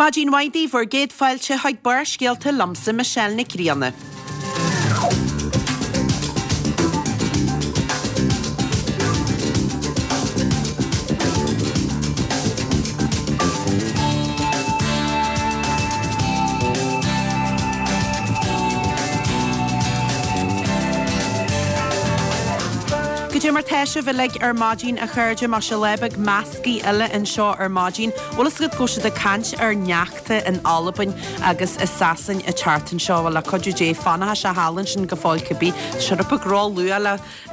Maidin mhaith daoibh, bhur gcéad fáilte chuig Barrscéalta liomsa Michelle Nic Grianna. Goidé mar tá sibh uilig ar maidin a chairde, muise lá beag meascaí eile anseo ar maidin. Bhfuil fhios agat go bhfuil siad ag caint ar shneachta in Albain agus i Sasain an tseachtain seo? Bhuel, le cuidiú Dé, fanfaidh sé thall ansin go fóill cibé. Tá sé rud beag ró-luath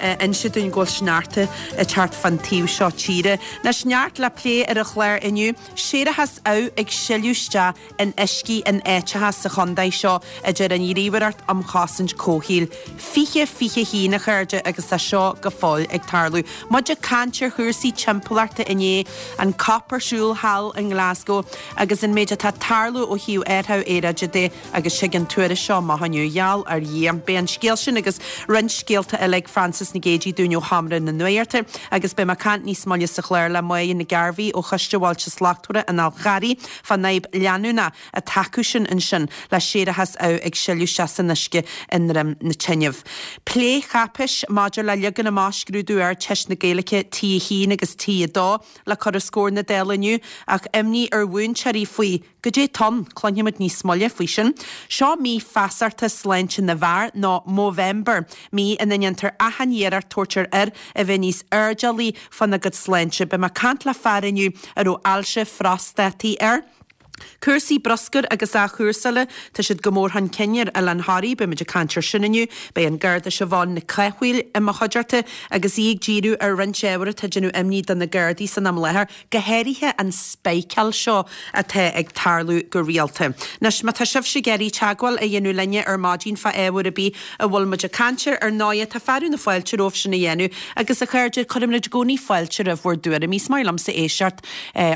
le inse dúinn go bhfuil sneachta ag teacht fán taobh seo tíre. Anois, neart le plé ar an chlár inniu. Séarachas amh ag sileadh isteach in uiscí in áiteacha sa chontae seo, a deir an Ghníomhaireacht um Chosaint Comhshaoil. 2021, a chairde, agus tá seo go fóill ag tarlú. Muid ag caint ar chúrsaí timpeallachta inné, an cop ar siúl thall i nGlasgow agus an méid atá ag tarlú ó thaobh athrú aeráide de agus tig an tuairisc seo amach inniu, gheall ar Dhia. Beidh an scéal sin agus roinnt scéalta eile ag Frances Nic Géadaigh dúinn ó Sheomra na Nuachta agus beidh mé ag caint níos moille sa chlár le Máire Nic Gairbhí ó Choiste Bhailte Slachtmhara an Fháil Charraigh fán fhadhb leanúnach atá acusan ansin le séarachas amh ag sileadh isteach san uisce i nDroim na Teineamh. Plécháipéis maidir le ligean amach scrúdú Ardteist na Gaeilge T1 agus T2 le cur os comhair na Dála inniu ach imní ar mhúinteoirí faoi goidé tá ann, cluinfimid níos moille faoi sin. Seo mí feasachta sláinte na bhfear nó Movember, mí ina ndéantar achan iarracht tabhairt ar fhir a bheith níos airdeallaí fána gcuid sláinte. Beidh mé ag caint le fear inniu a raibh ailse phrostátaí air. Cúrsaí bruscair agus athchúrsála, tá siad go mór chun cinn ar Oileán Thoraí, beimid ag caint ar sin inniu. Beidh an Garda Siobhán Nic Cathmhaoil i mo chuideachta agus í ag díriú ar roinnt ábhar atá ag déanamh imní do na Gardaí san am láthair, go háirithe an spiceáil seo atá ag tarlú go rialta. Anois, má tá sibhse ag iarraidh teagmháil a dhéanamh linne ar maidin fá ábhar ar bith a bhfuil muid ag caint air, ar ndóighe, tá fearadh na fáilte romhaibh sin a dhéanamh agus, a chairde, cuirimid i gcónaí fáilte roimh bhur dtuairimí. Is maith liomsa éisteacht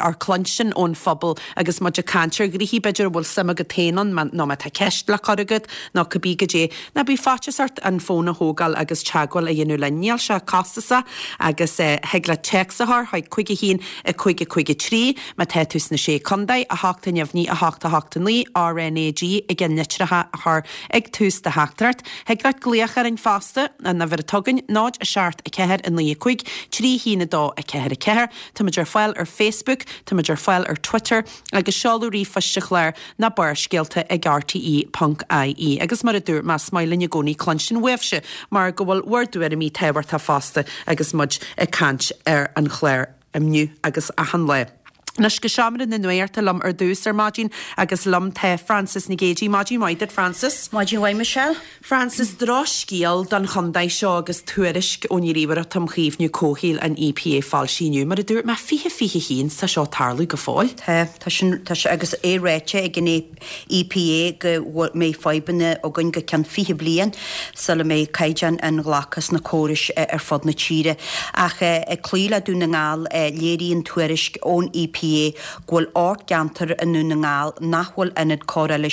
or cluinstin ón phobal agus muid ag caint ar ghnoithí b'fhéidir a bhfuil suim agat féin ann nó má tá ceist le cur agat nó cibé goidé. Ná bíodh faitíos ort an fón a thógáil agus teagmháil a dhéanamh linn. Níl sé costasach agus thig leat téacs a chur chuig 5 1 5 5 3 má tá tú sna Sé Contae, 8 neamhní 8 8 9, RnaG i gceannlitreacha a chur ag tús do theachtaireacht. Thig leat glaoch orainn fosta, an uimhir atá againn, 0 7 4 9 5 3 1 2 4 4. Táimid ar fáil ar Facebook, táimid ar fáil ar Twitter agus seoladh ríomhphoist an chláir ná barrscéalta ag rte ponc ie. Agus mar a dúirt mé, is maith linn i gcónaí cluinstin uaibhse mar go bhfuil bhur dtuairimí tábhachtach fosta agus muid ag caint ar an chlár inniu agus achan lá. Anois go seomra na nuachta liom ar dtús ar maidin agus liom tá Frances Nic Géadaigh. Maidin mhaith duit Frances. Maidin mhaith Michelle. Frances, Drochscéal don chontae seo agus tuairisc ón Ghníomhaireacht um Chaomhnú Comhshaoil, an EPA, foilsithe inniu. Mar a dúirt mé, 2021 tá seo ag tarlú go fóill. Tá, tá sin, tá sé, agus é ráite ag an EPA go mbeidh fadhbanna againn go ceann 20 bliain sula mbeidh caighdeáin inghlactha sna córais ar fud na tíre. Ach ag cloí le Dún na nGall, léiríonn tuairisc ón EPA go bhfuil 8 gceantar i nDún na nGall nach bhfuil ionad cóireála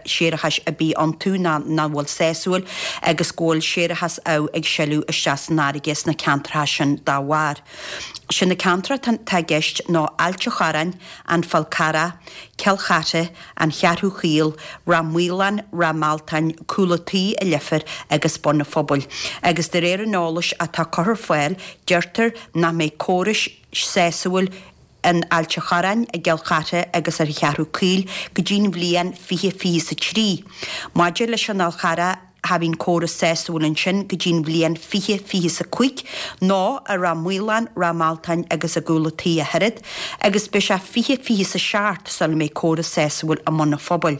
séarachais ar bith iontu ná nach bhfuil sásúil agus go bhfuil séarachas amh ag sileadh isteach san fharraige sna ceantracha sin dá bharr. Sé na ceantracha atá i gceist ná Ailt a' Chorráin, An Fál Carrach, Cill Chartha, An Cheathrú Chaol, Ráth Maoláin, Ráth Mealtain, Cúl a' Tí i Leifear agus Bun a' Phobail. Agus de réir an eolais atá curtha ar fáil, deirtear nach mbeidh córais sásúil in Ailt a' Chorráin, i gCill Chartha agus ar an Cheathrú Caoil go dtí'n bhliain 2023. Maidir leis an Fhál Charrach, cha bhíonn córas sásúil ansin go dtí'n bhliain 2025, nó i Ráth Maoláin, Ráth Mealtain agus i gCúl a' Tí ach oiread, agus beidh sé 2027 sula mbeidh córas sásúil i mBun a' Phobail.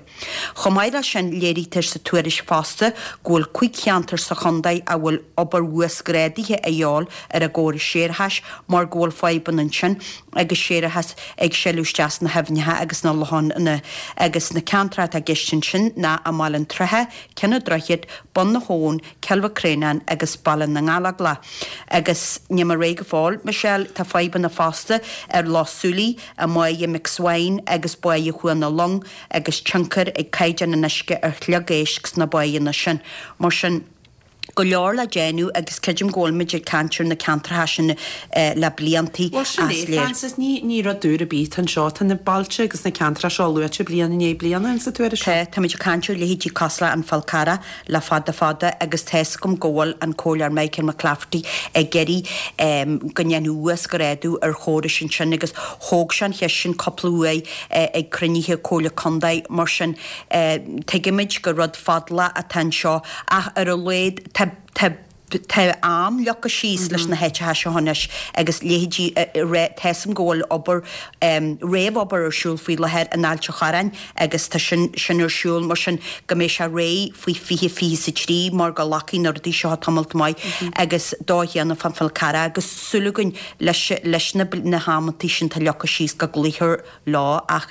Chomh maith leis sin, léirítear sa tuairisc fosta go bhfuil 5 cheantar sa chontae a bhfuil obair uasghrádaithe a dhíobháil ar a gcórais séarachais mar go bhfuil fadhbanna ansin agus séarachas ag sileadh isteach sna haibhneacha agus sna lochanna agus na ceantracha atá i gceist ansin ná i mBaile an tSratha, Cionn an Droichid, Bun na hAbhann, Cill Mhic Réanáin agus Baile na nGallóglach. Agus níl mé réidh go fóill, Michelle, tá fadhbanna fosta ar Loch Súilí, i mBáighe McSwine agus Báighe Chuan na Long agus tionchar ag caighdeán an uisce ar shliogéisc sna báigheanna sin. Mar sin. go leor le déanamh agus creidim go bhfuil muid ag caint ar na ceantracha sin le bliantaí Bhuel sin as é, léir. Frances, ní, ní rud úr ar bith atá anseo. Tá na bailte agus na ceantracha seo luaite bliain i ndiaidh bliana insa tuairisc seo. Tá, táimid ag caint ar leithéidí cosúil le An Fál Carrach le fada fada agus tá 'fhios agam go bhfuil an Comhairleoir Michael McClafferty ag iarraidh go ndéanfaí uasghrádú ar chórais ansin agus thóg sé an cheist sin cúpla uair ag cruinnithe Comhairle Contae mar sin tuigimid gur rud fadálach atá anseo ach ar a laghad tá tá tá am leagtha síos leis na háiteacha seo anois agus leithéidí tá 'fhios agam go bhfuil obair réamhobair ar siúl faoi láthair in Ailt an Chorráin agus tá sin sin ar siúl mar sin go mbeidh sé réidh faoi 2023 mar go nglacfaidh na rudaí seo tamalt maith agus dá chéanna fán Fál Carrach agus súil againn leis leis na na hamantaí sin atá leagtha síos go gcloífear leo ach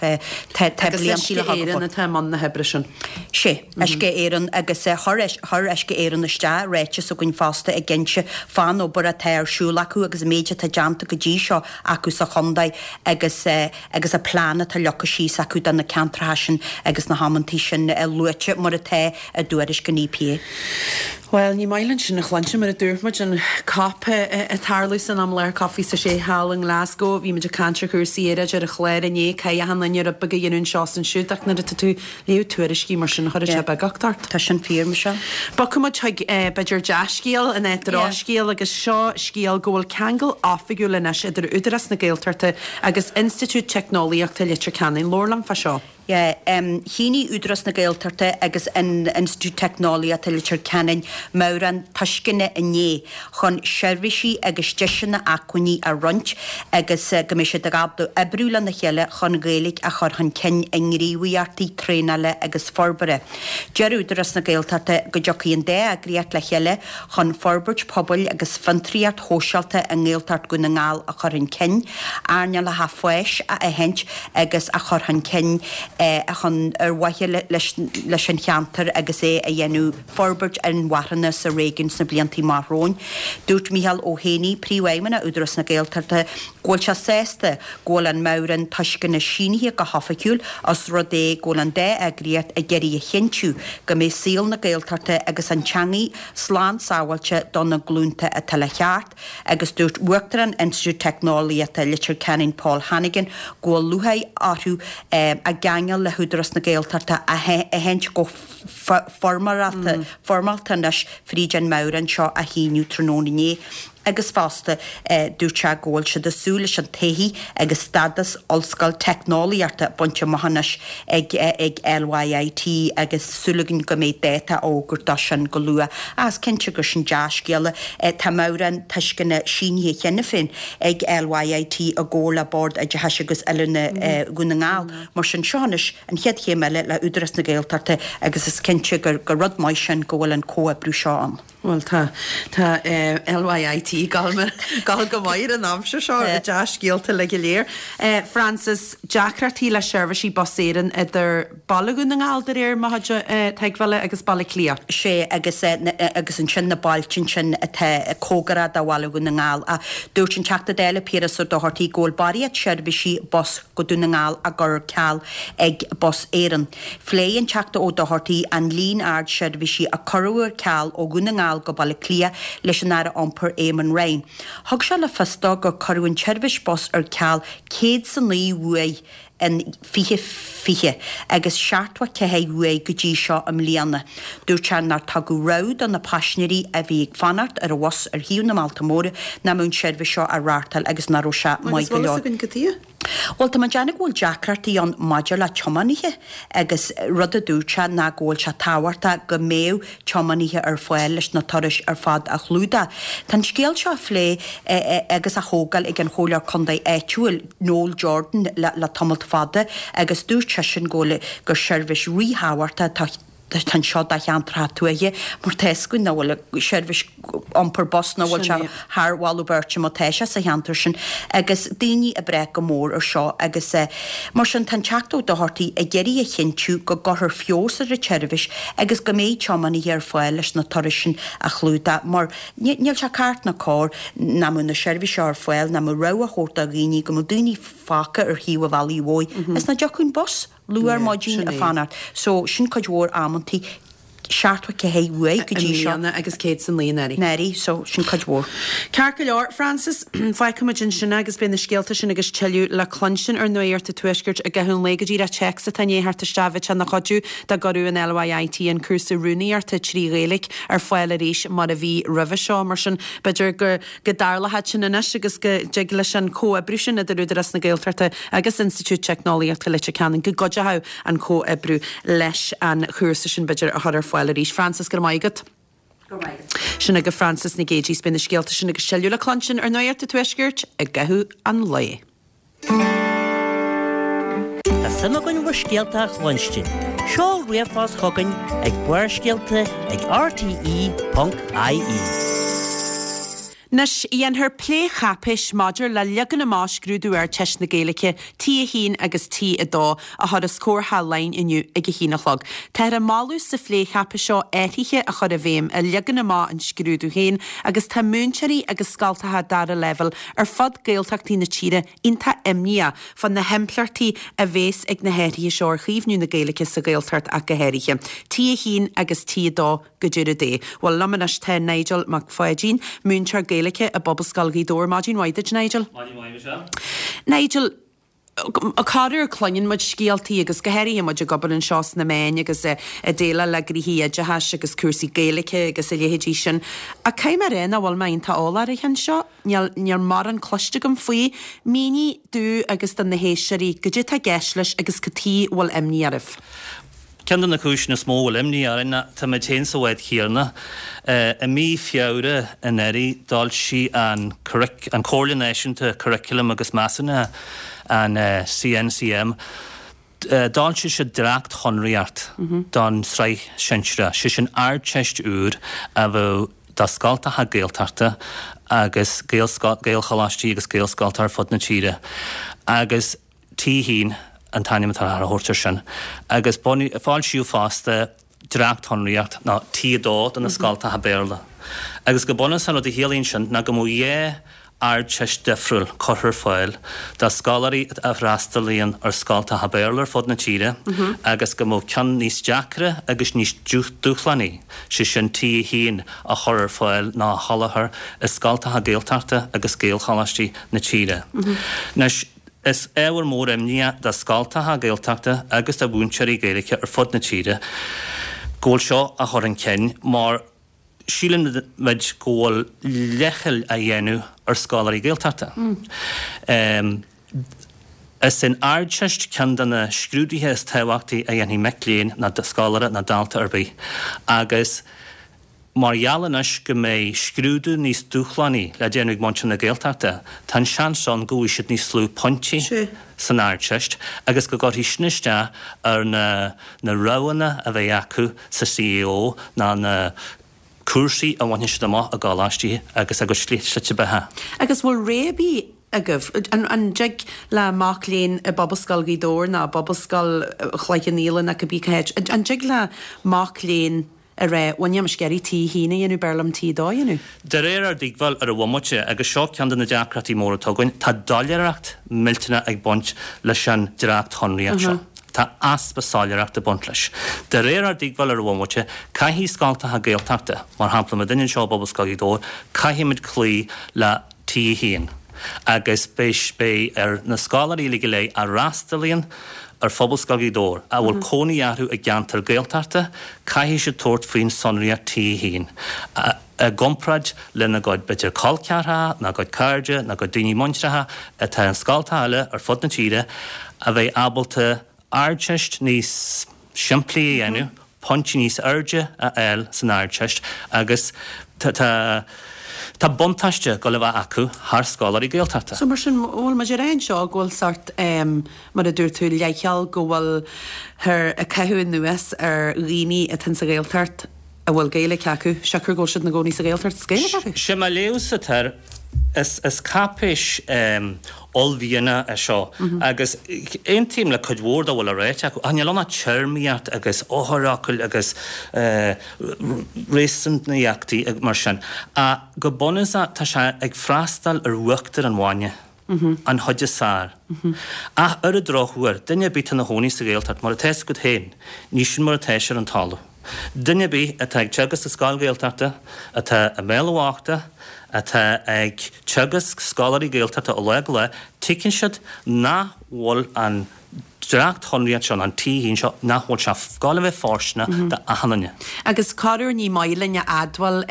tá tá Agus bliantaí Uisce le Éireann fáil. atá i mbun na hoibre sin. Sé, Uisce Éireann agus chuir chuir Uisce Éireann isteach ráiteas chugainn fosta ag inse fán obair atá ar siúl acu agus an méid atá déanta go dtí seo acu sa chontae agus agus an plean atá leagtha síos acu do na ceantracha sin agus na hamantaí sin luaite mar atá i dtuairisc an EPA. Bhuel, ní maith linn sin a chluinstin, mar a dúirt muid, an COP ag tarlú san am i láthair, COP 26 thall i nGlasgow. Bhí muid ag caint ar chúrsaí aeráide ar an chlár inné, caithfidh achan duine rud beag a dhéanamh anseo is ansiúd, ach nuair atá tú ag léamh tuairiscí mar sin, chuirfeadh sé beagucht ort. Tá sin fíor, Michelle. Bogfaidh muid chuig, b'fhéidir, dea-scéal in áit drochscéal agus seo scéal go bhfuil ceangal oifigiúil anois idir Údarás na Gaeltachta agus Institiúid Teicneolaíochta Leitir Ceanainn. Labhair liom fá seo. Shínigh Údarás na Gaeltachta agus an Institiúid Teicneolaíochta Leitir Ceanainn meabhrán tuisceana inné chun seirbhísí agus deiseanna acmhainní a roinnt agus go mbeidh siad ábalta oibriú lena chéile chun Gaeilge a chur chun cinn i ngníomhaíochtaí traenála agus forbartha. Deir Údarás na Gaeltachta go dtiocfaidh an dá eagraíocht le chéile chun forbairt pobail agus fiontraíocht shóisialta i nGaeltacht Dhún na nGall a chur chun cinn, earnálacha fáis a aithint agus a chur chun cinn chun ar mhaithe leis an cheantar agus é a dhéanamh forbairt inmharthana sa réigiún sna blianta amach romhainn. Dúirt Micheál Ó hÉanaí, Príomhfheidhmeannach Údarás na Gaeltachta, go bhfuil sé sásta go bhfuil an meabhrán tuisceana sínithe go hoifigiúil os rud é go bhfuil an dá eagraíocht ag iarraidh a chinntiú go mbeidh saol na Gaeltachta agus an teangaidh slán sábháilte do na glúnta atá le theacht agus dúirt Uachtarán Institiúid Teicneolaíochta Leitir Ceanainn Paul Hannigan go bhfuil lúcháir orthu a gceangal le hÚdarás na Gaeltachta a aithint go foirmeálta anois fríd an meabhrán seo a shíniú tráthnóna inné. Agus fosta, dúirt sé go bhfuil siad ag súil leis an taithí agus stádas ollscoil teicneolaíochta bainte amach anois ag ag LYIT agus súil againn go mbeidh dáta á fhógairt dó sin go luath. Ach is cinnte gur sin dea-scéala. Tá meabhrán tuisceana sínithe cheana féin ag LYIT i gcomhar le Bord Oideachais agus Oiliúna Dhún na nGall. Mar sin, seo anois an chéad chéim eile le Údarás na Gaeltachta agus is cinnte gur rud maith sin go bhfuil an comhoibriú seo ann. Bhuel tá, tá LYIT ag gabháil go maith ar an aimsir seo, dea-scéalta uilig go léir. Frances, deacrachtaí le seirbhísí Bus Éireann idir Baile Dhún na nGall de réir mo chuid tuigbheála agus Baile Átha Cliath. Sé agus agus ansin na bailte ansin atá cóngarach do Bhaile Dhún na nGall. Ach dúirt an Teachta Dála Piaras Ó Dochartaigh go bhfuil barraíocht seirbhísí bus go Dún na nGall á gcur ar ceal ag Bus Éireann. Phléigh an Teachta Ó Dochartaigh an líon ard seirbhísí a cuireadh ar ceal ó Dhún na nGall go Baile Átha Cliath leis an Aire Iompair Eamon Ryan. Thug sé le fios dó gur cuireadh an tseirbhís bus ar ceal 109 uair in 2020 agus 74 uair go dtí seo i mbliana. Dúirt sé nár tugadh rabhadh do na paisinéirí a bhí ag fanacht ar an bhus ar thaobh na mbailte móra nach mbeadh an tseirbhís seo á reáchtáil agus nach raibh sé maith Agus go bhfuil leor. fhios againn cad chuige? Bhuel, tá mé ag déanamh go bhfuil deacrachtaí ann maidir le tiománaithe agus rud a dúirt sé ná go bhfuil sé tábhachtach go mbeadh tiománaithe ar fáil leis na turais ar fad a chlúdach. Tá an scéal seo á phlé agus á thógáil ag an Chomhairleoir Contae áitiúil, Noel Jordan le tamalt fada agus dúirt seisean go bhfuil gur seirbhís ríthábhachtach atá Tá anseo do cheantracha tuaithe mar tá fhios againn nach bhfuil seirbhís iompair bus nach bhfuil sé thar mholadh beirte má tá sé sa cheantar sin agus daoine ag brath go mór ar seo agus mar sin tá an Teachta Ó Dochartaigh ag iarraidh a chinntiú go gcuirfear feabhas ar an tseirbhís agus go mbeidh tiománaithe ar fáil leis na turais sin a chlúdach mar níl sé ceart ná cóir nach mbeadh na seirbhísí seo ar fáil nach mbeadh rogha a thabhairt do dhaoine go mbeadh daoine fágtha ar thaobh an bhealaigh mhóir is nach dtiocfadh an bus. luath ar maidin ag fanacht. So, sin cuid mhór amantaí. 74 uaidh go dtí seo. I mbliana agus 100 san lae anuraidh. Anuraidh, so sin cuid mhór. Ceart go leor, Frances, fágfaidh muid ansin é agus beidh na scéalta sin agus tuilleadh le cluinstin ar Nuacht an Tuaiscirt i gcaitheamh an lae. Go díreach téacs atá i ndiaidh theacht isteach, bheadh sé ina chuidiú dá gcuireadh an LYIT an cúrsa rúnaíochta 3 Ghaeilge ar fáil arís mar a bhí roimhe seo. Mar sin, b'fhéidir go go dtarlóidh sin anois agus go dtig leis an comhoibriú sin idir Údarás na Gaeltachta agus Institiúid Teicneolaíochta Leitir Ceanainn go gcuideoidh an comhoibriú leis an chúrsa sin b'fhéidir a chur ar fáil arís. Frances, go raibh maith agat. Go raibh maith agat. Sin agaibh Frances Nic Géidigh 's beidh na scéalta sin agus tuilleadh le cluinstin ar Nuacht an Tuaiscirt i gcaitheamh an lae. Tá suim againn bhur scéalta a chluinstin. Seol ríomhphost chugainn ag barrscéalta ag rte.ie. Anois, dhéanfar plécháipéis maidir le leagan amach scrúdú Ardteist na Gaeilge, T1 agus T2, a chur os comhair Theach Laighean inniu ag a haon a chlog. Táthar ag moladh sa phlécháipéis seo athruithe a chur i bhfeidhm i leagan amach an scrúdú féin agus tá múinteoirí agus scoltacha dara leibhéal ar fud Gaeltachtaí na tíre iontach imníoch fá na himpleachtaí a bhéas ag na hathruithe seo ar chaomhnú na Gaeilge sa Ghaeltacht ach go háirithe. T1 agus T2 go deireadh Dé. Bhuel, liom anois tá Nigel Mac Pháidín, múinteoir Gaeilge i bPobalscoil Ghaoth Dobhair. Maidin mhaith duit, Nigel. Maidin mhaith, Michelle. Nigel, Corruair cluineann muid scéaltaí agus go háirithe muid ag obair anseo sna meáin agus ag déileáil le gnoithí oideachais agus cúrsaí Gaeilge agus a leithéidí sin. Ach caithfidh mé a rá nach bhfuil mé iontach eolach ar an cheann seo. Níl, níl mórán cloiste agam faoi. Mínigh domh agus do na héisteoirí goidé atá i gceist leis agus cad chuige a bhfuil imní oraibh. Ceann de na cúiseanna is mó a bhfuil imní orainn ná táimid féin sa bhád chéanna. I mí Feabhra anuraidh d'fhoilsigh an an Comhairle Náisiúnta Curaclaim agus Measúnaithe, an CNCM, d'fhoilsigh siad dréachtshonraíocht don tsraith shinsearach, sé sin Ardteist úr a bheadh do scoltacha Gaeltachta agus Gaelcholáistí agus Gaelscoltacha ar fud na tíre agus T1 an t-ainm atá á thabhairt air sin, agus foilsíodh fosta dréachtshonraíocht, nó T2 do na scoltacha Béarla. Agus go bunúsach an rud a chiallaíonn sin ná go mbeadh 2 Ardteist difriúil curtha ar fáil do scoláirí a fhreastalaíonn ar scoltacha Béarla ar fud na tíre agus go mbeadh ceann níos deacra agus níos dúshlánaí, sé sin T1, á chur ar fáil nó á sholáthar i scoltacha Gaeltachta agus Gaelcholáistí na tíre. Anois. Is ábhar mór imní é do scoltacha Gaeltachta agus do mhúinteoirí Gaeilge ar fud na tíre go bhfuil seo á chur chun cinn mar síleann muid go bhfuil leithcheal á dhéanamh ar scoláirí Gaeltachta. Is é an Ardteist ceann de na scrúduithe is tábhachtaí a dhéanfaidh mic léinn ná scoláire ná dalta ar bith agus Mar gheall anois go mbeidh scrúdú níos dúshlánaí le déanamh ag muintir na Gaeltachta, tá an seans ann go bhfaighidh siad níos lú pointí san Ardteist agus go gcuirfidh sin isteach ar na na roghanna a bheidh acu sa CAO ná na cúrsaí a bhainfidh siad amach i gcoláistí agus a gcuid slite beatha. Agus bhfuil rogha ar bith agaibh? An dtig le mac léinn i bPobalscoil Ghaoth Dobhair ná i bPobalscoil Chloich Cheann Fhaola ná cibé cá háit, an dtig le mac léinn a rá, bhuel níl mise ag iarraidh T1 a dhéanamh, b'fhearr liom T2 a dhéanamh. De réir ár dtuigbheáil ar an bhomaite, agus seo ceann de na deacrachtaí móra atá againn, tá doiléireacht millteanach ag baint leis an dréachtshonraíocht seo. Tá easpa soiléireachta ag baint leis. De réir ár dtuigbheáil ar an bhomaite, caithfidh scoltacha Gaeltachta, mar shampla muidinne anseo i bPobalscoil Ghaoth Dobhair, caithfimid cloí le T1 agus beidh ar na scoláirí uilig go léir a fhreastalaíonn ar Phobalscoil Ghaoth Dobhair, a bhfuil cónaí orthu i gceantar Gaeltachta, caithfidh siad tabhairt faoin sonraíocht T1 i gcomparáid lena gcuid, b'fhéidir, col ceathracha, nó a gcuid cairde, nó a gcuid daoine muinteartha atá in scoltacha eile ar fud na tíre a bheidh ábalta Ardteist níos simplí a dhéanamh, pointí níos airde a fháil san Ardteist agus tá tá buntáiste ag dul a bheith acu thar scoláirí Gaeltachta. So mar sin, bhfuil muid ag rá anseo go bhfuil sórt, mar a dúirt tú, leithcheal go bhfuilthear ag caitheamh anuas ar dhaoine atá sa Ghaeltacht a bhfuil Gaeilge acu, siocair go bhfuil siad ina gcónaí sa Ghaeltacht is Gaeilge acu? Sé mo léamhsa atá air, is cáipéis uaillmhianach é seo agus aontaím le cuid mhór dá bhfuil á ráite acu ach níl ann ach téarmaíocht agus eochairfhocail agus réasúnaíochtaí mar sin. Ach go bunúsach tá sé ag freastal ar uachtar an bhainne. An chuid is fearr. Ach ar an drochuair, duine ar bith atá ina chónaí sa Ghaeltacht, mar atá fhios agat féin, ní sin mar atá sé ar an talamh. Duine ar bith atá ag teagasc i scoil Ghaeltachta, atá i mBéal Uachta, atá ag teagasc scoláirí Gaeltachta ó lá go lá, tuigeann siad nach bhfuil an dréachtshonraíocht seo, an T1 seo, nach bhfuil sé ag gabháil a bheith fóirsteanach d'achan duine. Agus corruair ní maith linn a admháil,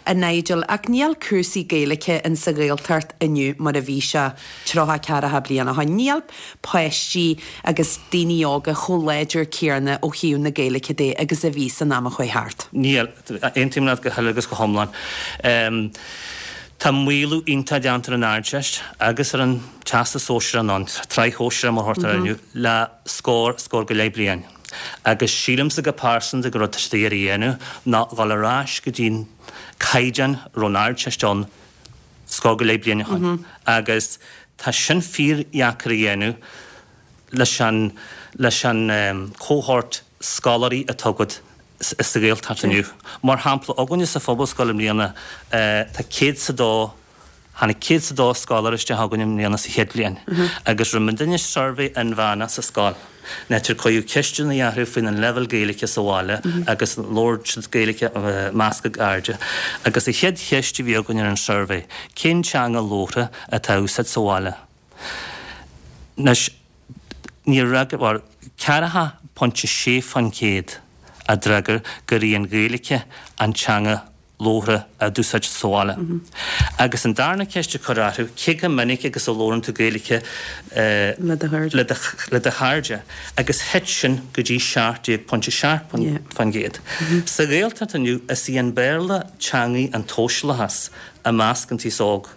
a Nigel, ach níl cúrsaí Gaeilge in sa Ghaeltacht inniu mar a bhí sé 30, 40 bliain ó shoin. Níl páistí agus daoine óga chomh láidir céanna ó thaobh na Gaeilge de agus a bhí san am a chuaigh thart. Níl. Aontaím leat go huile agus go hiomlán. Tá maolú iontach déanta ar an Ardteist agus ar an Teastas Sóisearach nó an tSraith Shóisearach mar a thugtar air inniu le scór, scór go leith bliain. Agus sílimse go pearsanta gur rud atá siad ag iarraidh a dhéanamh ná dhul ar ais go dtí an caighdeán a raibh an Ardteist ann scór go leith bliain ó shin. Agus tá sin fíordheacair a dhéanamh leis an leis an cohort scoláirí atá agat sa Ghaeltacht inniu. Mar shampla, againne sa Phobalscoil i mbliana tá 102, tháinig 102 scoláire isteach againn i mbliana sa chéad bhliain agus rinne muidinne suirbhé inmheánach sa scoil, in áit ar cuireadh ceisteanna orthu faoin an leibhéal Gaeilge sa bhaile agus an labhair siad Gaeilge measctha airde. Agus an chéad cheist a bhí againn ar an suirbhé, cén teanga labhartha atá á úsáid sa bhaile? Anois, níor fhreagair, bhuel, 40.6% a d'fhreagair gur í an Ghaeilge an teanga labhartha a d'úsáidtear sa bhaile. Agus an darna ceist a cuireadh orthu, cé chomh minic agus a labhrann tú Gaeilge le do chairde? Agus thit sin go dtí 17.7%. Sa Ghaeltacht inniu, is í an Béarla teangaidh an tsóisialachais i measc an t-aos óg.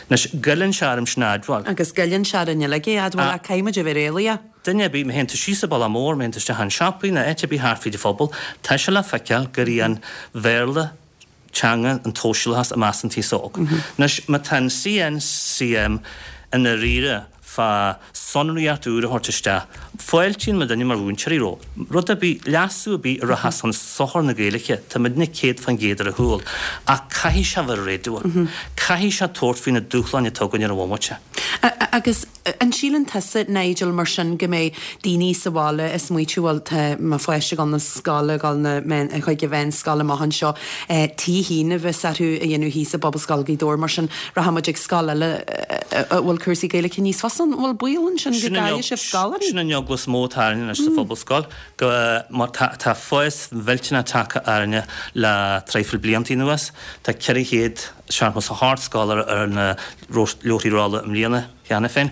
Anois, goilleann sé orm sin a admháil. Agus goilleann sé orainn uilig é a admháil, ach caithfidh muid a bheith réalaíoch. Duine ar bith, má théann tú síos an bealach mór, má théann tú isteach chun siopaí nó áit ar bith thart fríd an phobal, tá sé le feiceáil gur í an Bhéarla teanga an tsóisialachais i measc an t-aos óg. Anois, má tá an CNCM i ndáiríre fá sonraíocht úr a thabhairt isteach, fáiltíonn muidinne mar mhúinteoirí roimh rud ar bith, leasú ar bith a rachas chun sochair na Gaeilge, tá muidinne 100% ar a chúl. Ach caithfidh sé a bheith réadúil. Caithfidh sé tabhairt faoi na dúshláin atá againn ar an bhomaite. Agus an síleann tusa, Nigel, mar sin, go mbeidh daoine sa bhaile ag smaoitiú, bhuel, tá mo pháiste ag dul na scoile, ag dul na chuig an mheánscoil amach anseo, T1 a bheas orthu a dhéanamh thíos i bPobalscoil Ghaoth Dobhair, mar sin rachaidh muid ag scoil eile a bhfuil cúrsaí Gaeilge níos fusa ann. An bhfuil baol ansin go gcaillfidh sibh scoláirí? Sin an eagla is mó atá orainne anois sa Phobalscoil, go mar tá fás millteanach tagtha orainne le traidhfil blianta anuas. Tá 478 scoláire ar na leabharthaí rolla i mbliana cheana féin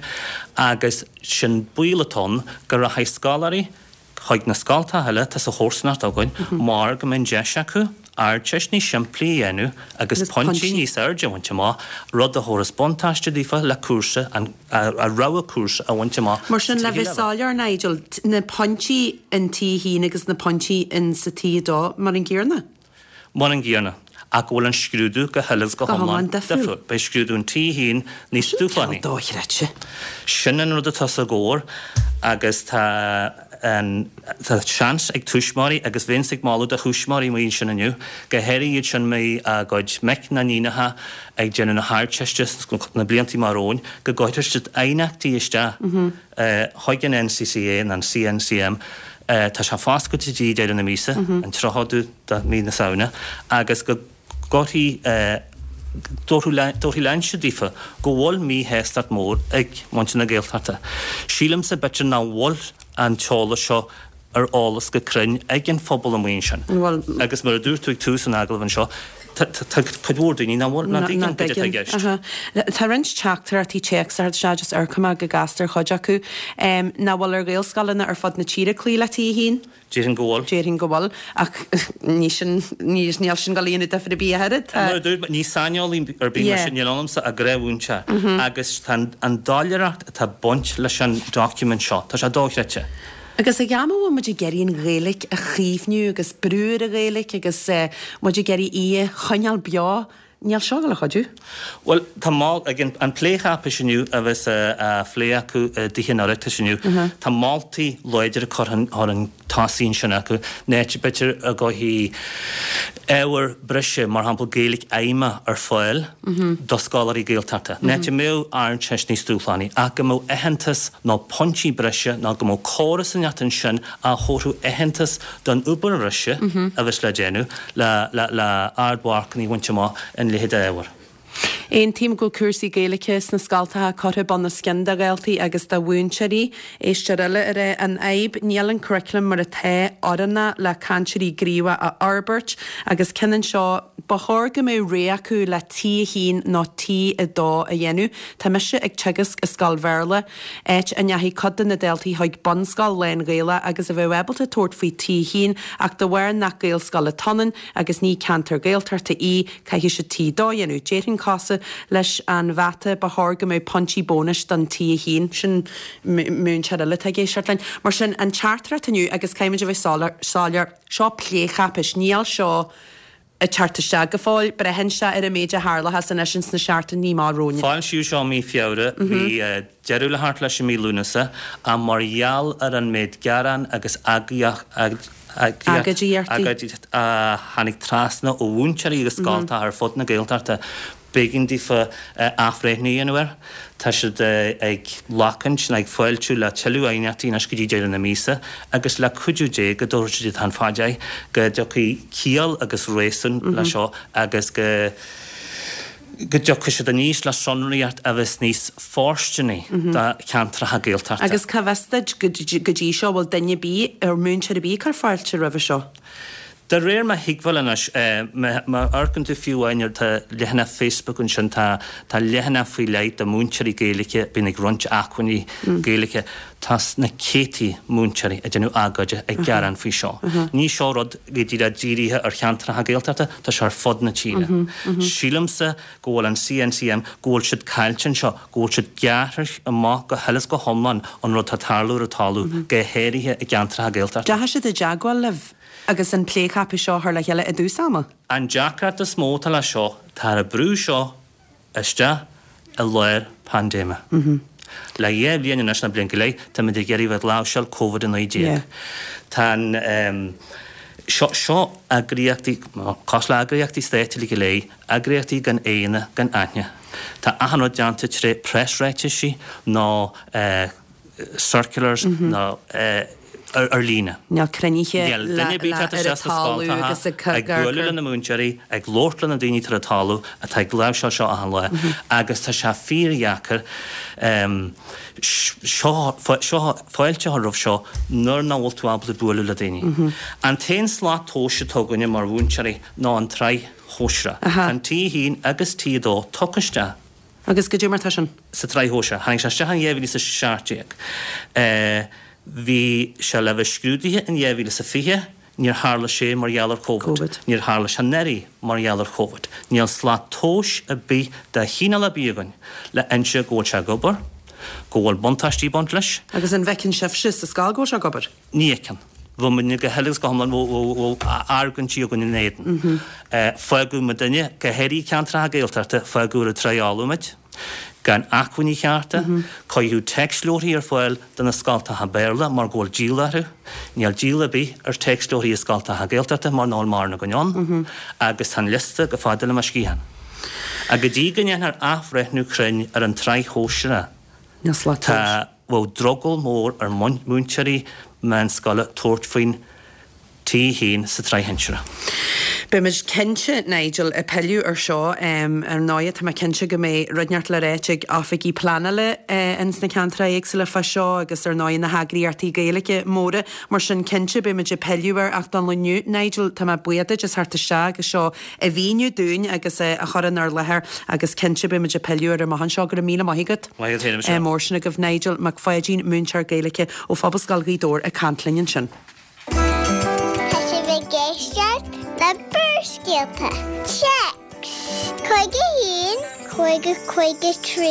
agus sin baol atá ann go rachaidh scoláirí chuig na scoltacha eile atá sa chomharsanacht againn mar go mbeidh an deis acu Ardteist níos simplí a dhéanamh agus pointí níos airde a bhaint amach, rud a thabharfas buntáiste daofa le cúrsa, a rogha cúrsa a bhaint amach Mar sin, le bheith soiléir, Nigel, na pointí in T1 agus na pointí in sa T2 mar an gcéanna? Mar an gcéanna, ach go bhfuil an scrúdú go huile is go hiomlán difriúil. Beidh scrúdú an T1 níos dúshlánaí. Sin dochreidte. Sin an rud atá os ár gcomhair agus tá an tá seans ag tuismitheoirí, agus bheinnse ag moladh do thuismitheoirí amuigh ansin inniu, go háirithe iad sin a mbeidh a gcuid mic nó níonacha ag déanamh na hArdteiste sna blianta amach romhainn, go gcuirfidh siad aighneachtaí isteach chuig an NCCA nó an CNCM. Tá sé foscailte go dtí deireadh na míosa, an 30ú de mhí na Samhna, agus go gcuirfidh tabharfaidh léinse daofa go bhfuil míshástacht mór ag muintir na Gaeltachta. Sílimse b'fhéidir nach bhfuil an t-eolas seo ar eolas go cruinn ag an phobal amuigh ansin. Agus mar a dúirt tú ag tús an agallaimh anseo, tá cuid mhór daoine nach bhfuil, nach dtuigeann cad atá i gceist. Tá roinnt teachtaireachtaí téacs a theacht isteach, just amharcfaidh mé go gasta ar chuid acu. Nach bhfuil ar Ghaelscoileanna ar fud na tíre cloí le T1? Déarfainn go bhfuil. Déarfainn go bhfuil, ach ní sin, ní, níl sin ag dul a dhéanamh difear ar bith ach oiread. Tá. Mar a dúirt mé, ní saineolaí ar bith mise, níl ionamsa ach gnáthmhúinteoir agus tá an doiléireacht atá ag baint leis an document seo, tá sé dochreidte. Agus ag am a bhfuil muid ag iarraidh an Ghaeilge a chaomhnú agus brú ar an Ghaeilge agus muid ag iarraidh í a choinneáil beo. Níl seo ag dul a chuidiú. Bhuel, tá mol, ag an plécháipéis inniu a bheas á phlé acu i dTithe an Oireachtais inniu, tá moltaí láidre curtha chun tosaigh ansin acu, áit b'fhéidir a gcuirfí ábhar breise, mar shampla Gaeilge fheidhmeach ar fáil do scoláirí Gaeltachta, áit a mbeadh Ardteist níos dúshlánaí, ach go mbeadh aitheantas nó pointí breise nó go mbeadh córas inteacht ansin a thabharfadh aitheantas don obair bhreise a bheas le déanamh le ardmharcanna a bhaint amach ina leithéid d'ábhar. Aontaím go bhfuil cúrsaí Gaeilge sna scoltacha curtha bun os cionn do dhaltaí agus do mhúinteoirí. Éisteoir eile ag rá an fhadhb, níl an curriculum mar atá oiriúnach le cainteoirí gníomhacha a fhorbairt agus ceann anseo, ba chóir go mbeadh rogha acu le T1 nó T2 a dhéanamh. Tá mise ag teagasc i scoil Bhéarla. áit a ndeachaigh cuid de na daltaí chuig bunscoil lán-Ghaelach agus a bheadh ábalta tabhairt faoi T1 ach de bharr nach Gaelscoil atá ann agus ní ceantar Gaeltachta í, caithfidh siad T2 a dhéanamh. Déarfainn cosúil leis an mhata, ba chóir go mbeadh pointí bónais don T1. Sin múinteoir eile atá ag éisteacht linn. Mar sin, an teachtaireacht inniu, agus caithfimid a bheith soiléir, seo plécháipéis, níl seo ag teacht isteach go fóill. Braitheann sé ar an méid a tharlóchas anois ins na seachtainí amach romhainn. Foilsíodh seo i mí Feabhra, bhí deireadh le theacht leis i mí Lúnasa, ach mar gheall ar an méid gearán agus agóidíocht a tháinig trasna ó mhúinteoirí agus scoltacha ar fud na Gaeltachta, B'éigean daofa athbhreithniú a dhéanamh air. Tá siad ag lachaint nó ag fáiltiú le tuilleadh aighneachtaí anois go dtí deireadh na míosa agus le cuidiú Dé go dtabharfaidh siad an fad é, go dtiocfaidh ciall agus réasún le seo agus go go dtiocfaidh siad aníos le sonraíocht a bheas níos fóirsteanaí do cheantracha Gaeltachta. Agus cá bhfios duit go dtí seo, bhfuil duine ar bith, ar múinteoir ar bith ag cur fáilte roimhe seo? De réir mo thuigbheáil anois, má amharcann tú fiú amháin ar tá leathanach Facebook ansin, tá tá leathanach faoi leith do mhúinteoirí Gaeilge a bhíonn ag roinnt acmhainní Gaeilge. Tá na céadtaí múinteoirí ag déanamh agóide ag gearán faoi seo. Ní seo rud go díreach dírithe ar cheantracha Gaeltachta, tá sé ar fud na tíre. Sílimse go bhfuil an CNCM, go bhfuil siad caillte anseo, go bhfuil siad gearrtha amach go huile is go hiomlán ón rud atá ag tarlú ar an talamh, go háirithe i gceantracha Gaeltachta. Deachaigh siad i dteagmháil libh agus an plécháipéis seo a chur le chéile i dtús ama? An deacracht is mó atá le seo, táthar ag brú seo isteach i lár paindéime. Le dhá bhliain anois, nó bliain go leith, táimid ag iarraidh bheith ag láimhseáil Covid-19. Tá an, seo, seo eagraíochtaí, cosúil le eagraíochtaí stáit uilig go léir, eagraíochtaí gan aghaidheanna gan aithne. Tá achan rud déanta tré preasráitisí nó circulars nó ar líne. Níl cruinnithe Níl duine ar bith ag teacht isteach sna scoltacha, ag bualadh le na múinteoirí, ag labhairt le na daoine atá ar an talamh, atá ag láimhseáil seo achan lá agus tá sé fíordheacair seo, seo, fáilte a chur roimh seo nuair nach bhfuil tú ábalta bualadh le daoine. An t-aon slat tomhais atá againne mar mhúinteoirí ná an tsraith shóisearach. Tá an T1 agus T2 tugtha isteach. Agus goidé mar tá sin? sa tsraith shóisearach. Tháinig sé isteach in 2017. Bhí sé le bheith scrúdaithe in 2020, níor tharla sé mar gheall ar Covid. Níor tharla sé anuraidh mar gheall ar Covid. Níl slat tomhais ar bith de chineál ar bith againn le inse go bhfuil sé ag obair, go bhfuil buntáistí ag baint leis. Agus an bhfeiceann sibhse sa scoil go bhfuil sé ag obair? Ní fheiceann. Bheadh muidne go huile agus go hiomlán, bheadh argóintí againn ina éadan. Fágadh muidinne, go háirithe i gceantracha Gaeltachta, fágadh ar an trá fholamh muid, gan acmhainní chearta, cuireadh téacsleabharthaí ar fáil do na scoltacha Béarla mar go bhfuil díol orthu. Níl díol ar bith ar téacsleabharthaí i scoltacha Gaeltachta mar nach bhfuil mórán againn ann, agus tá an liosta chomh fada le mo sciathán. Ach go dtí go ndéanfar athbhreithniú cruinn ar an tsraith shóisearach, tá. Bheadh drogall mór ar mhúinteoirí meánscoile tabhairt faoin T1 sa tsraith shinsearach. Beimid cinnte, Nigel, ag pilleadh ar seo. Ar ndóighe, tá mé cinnte go mbeidh rud inteacht le ráit ag oifigigh pleanála ins na ceantracha éagsúla fá seo agus ar ndóighe na heagraíochtaí Gaeilge móra. Mar sin, cinnte, beimid ag pilleadh air ach don lá inniu, Nigel, tá mé buíoch duit as theacht isteach agus seo a mhíniú dúinn agus a chur inár láthair agus cinnte beimid ag pilleadh air amach anseo. Go raibh míle maith agat. Maith agat féin, a Mhichelle. Mór sin agaibh Nigel Mac Pháidín, múinteoir Gaeilge ó Phobalscoil Ghaoth Dobhair ag caint linn ansin. Tá sibh ag éisteacht le Barrscéalta. Téacs 51 50 53.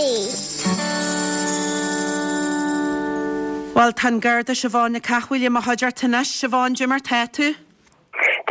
Bhuel, tá an Garda Siobhán Nic Cathmhaoil i mo chuideachta anois. Siobhán, goidé mar tá tú?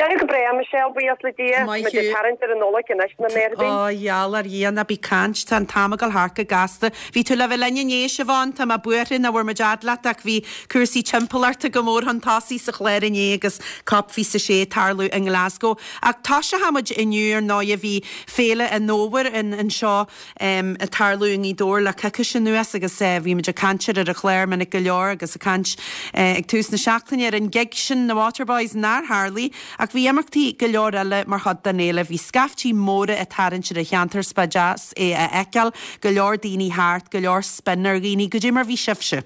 Déanamh go breá, Michelle, buíochas le Dia. Maith Muid ag thú. tarraingt ar an Nollaig anois na ndéardaoin. Ó, gheall ar Dhia, ná bí caint, tá an t-am ag dul thart go gasta. Bhí tú le bheith linn inné, Siobhán, tá mé buartha nach bhfuair muid fhad leat ach bhí cúrsaí timpeallachta go mór chun tosaigh sa chlár inné agus Cop 26 ag tarlú i nGlasgow. Ach toiseochaidh muid inniu, ar ndóighe, bhí Féile an Fhómhair anseo ag tarlú i nGaoth Dobhair le coicís anuas agus bhí muid ag caint air ar an chlár minic go leor agus ag caint ag tús na seachtaine ar an gig sin, na Waterboys, nár tharlaigh ach bhí imeachtaí go leor eile mar chuid den fhéile. Bhí scaiftí móra ag tarraingt ar an cheantar 's ba deas é a fheiceáil, go leor daoine thart, go leor spin ar dhaoine. Goidé mar bhí sibhse?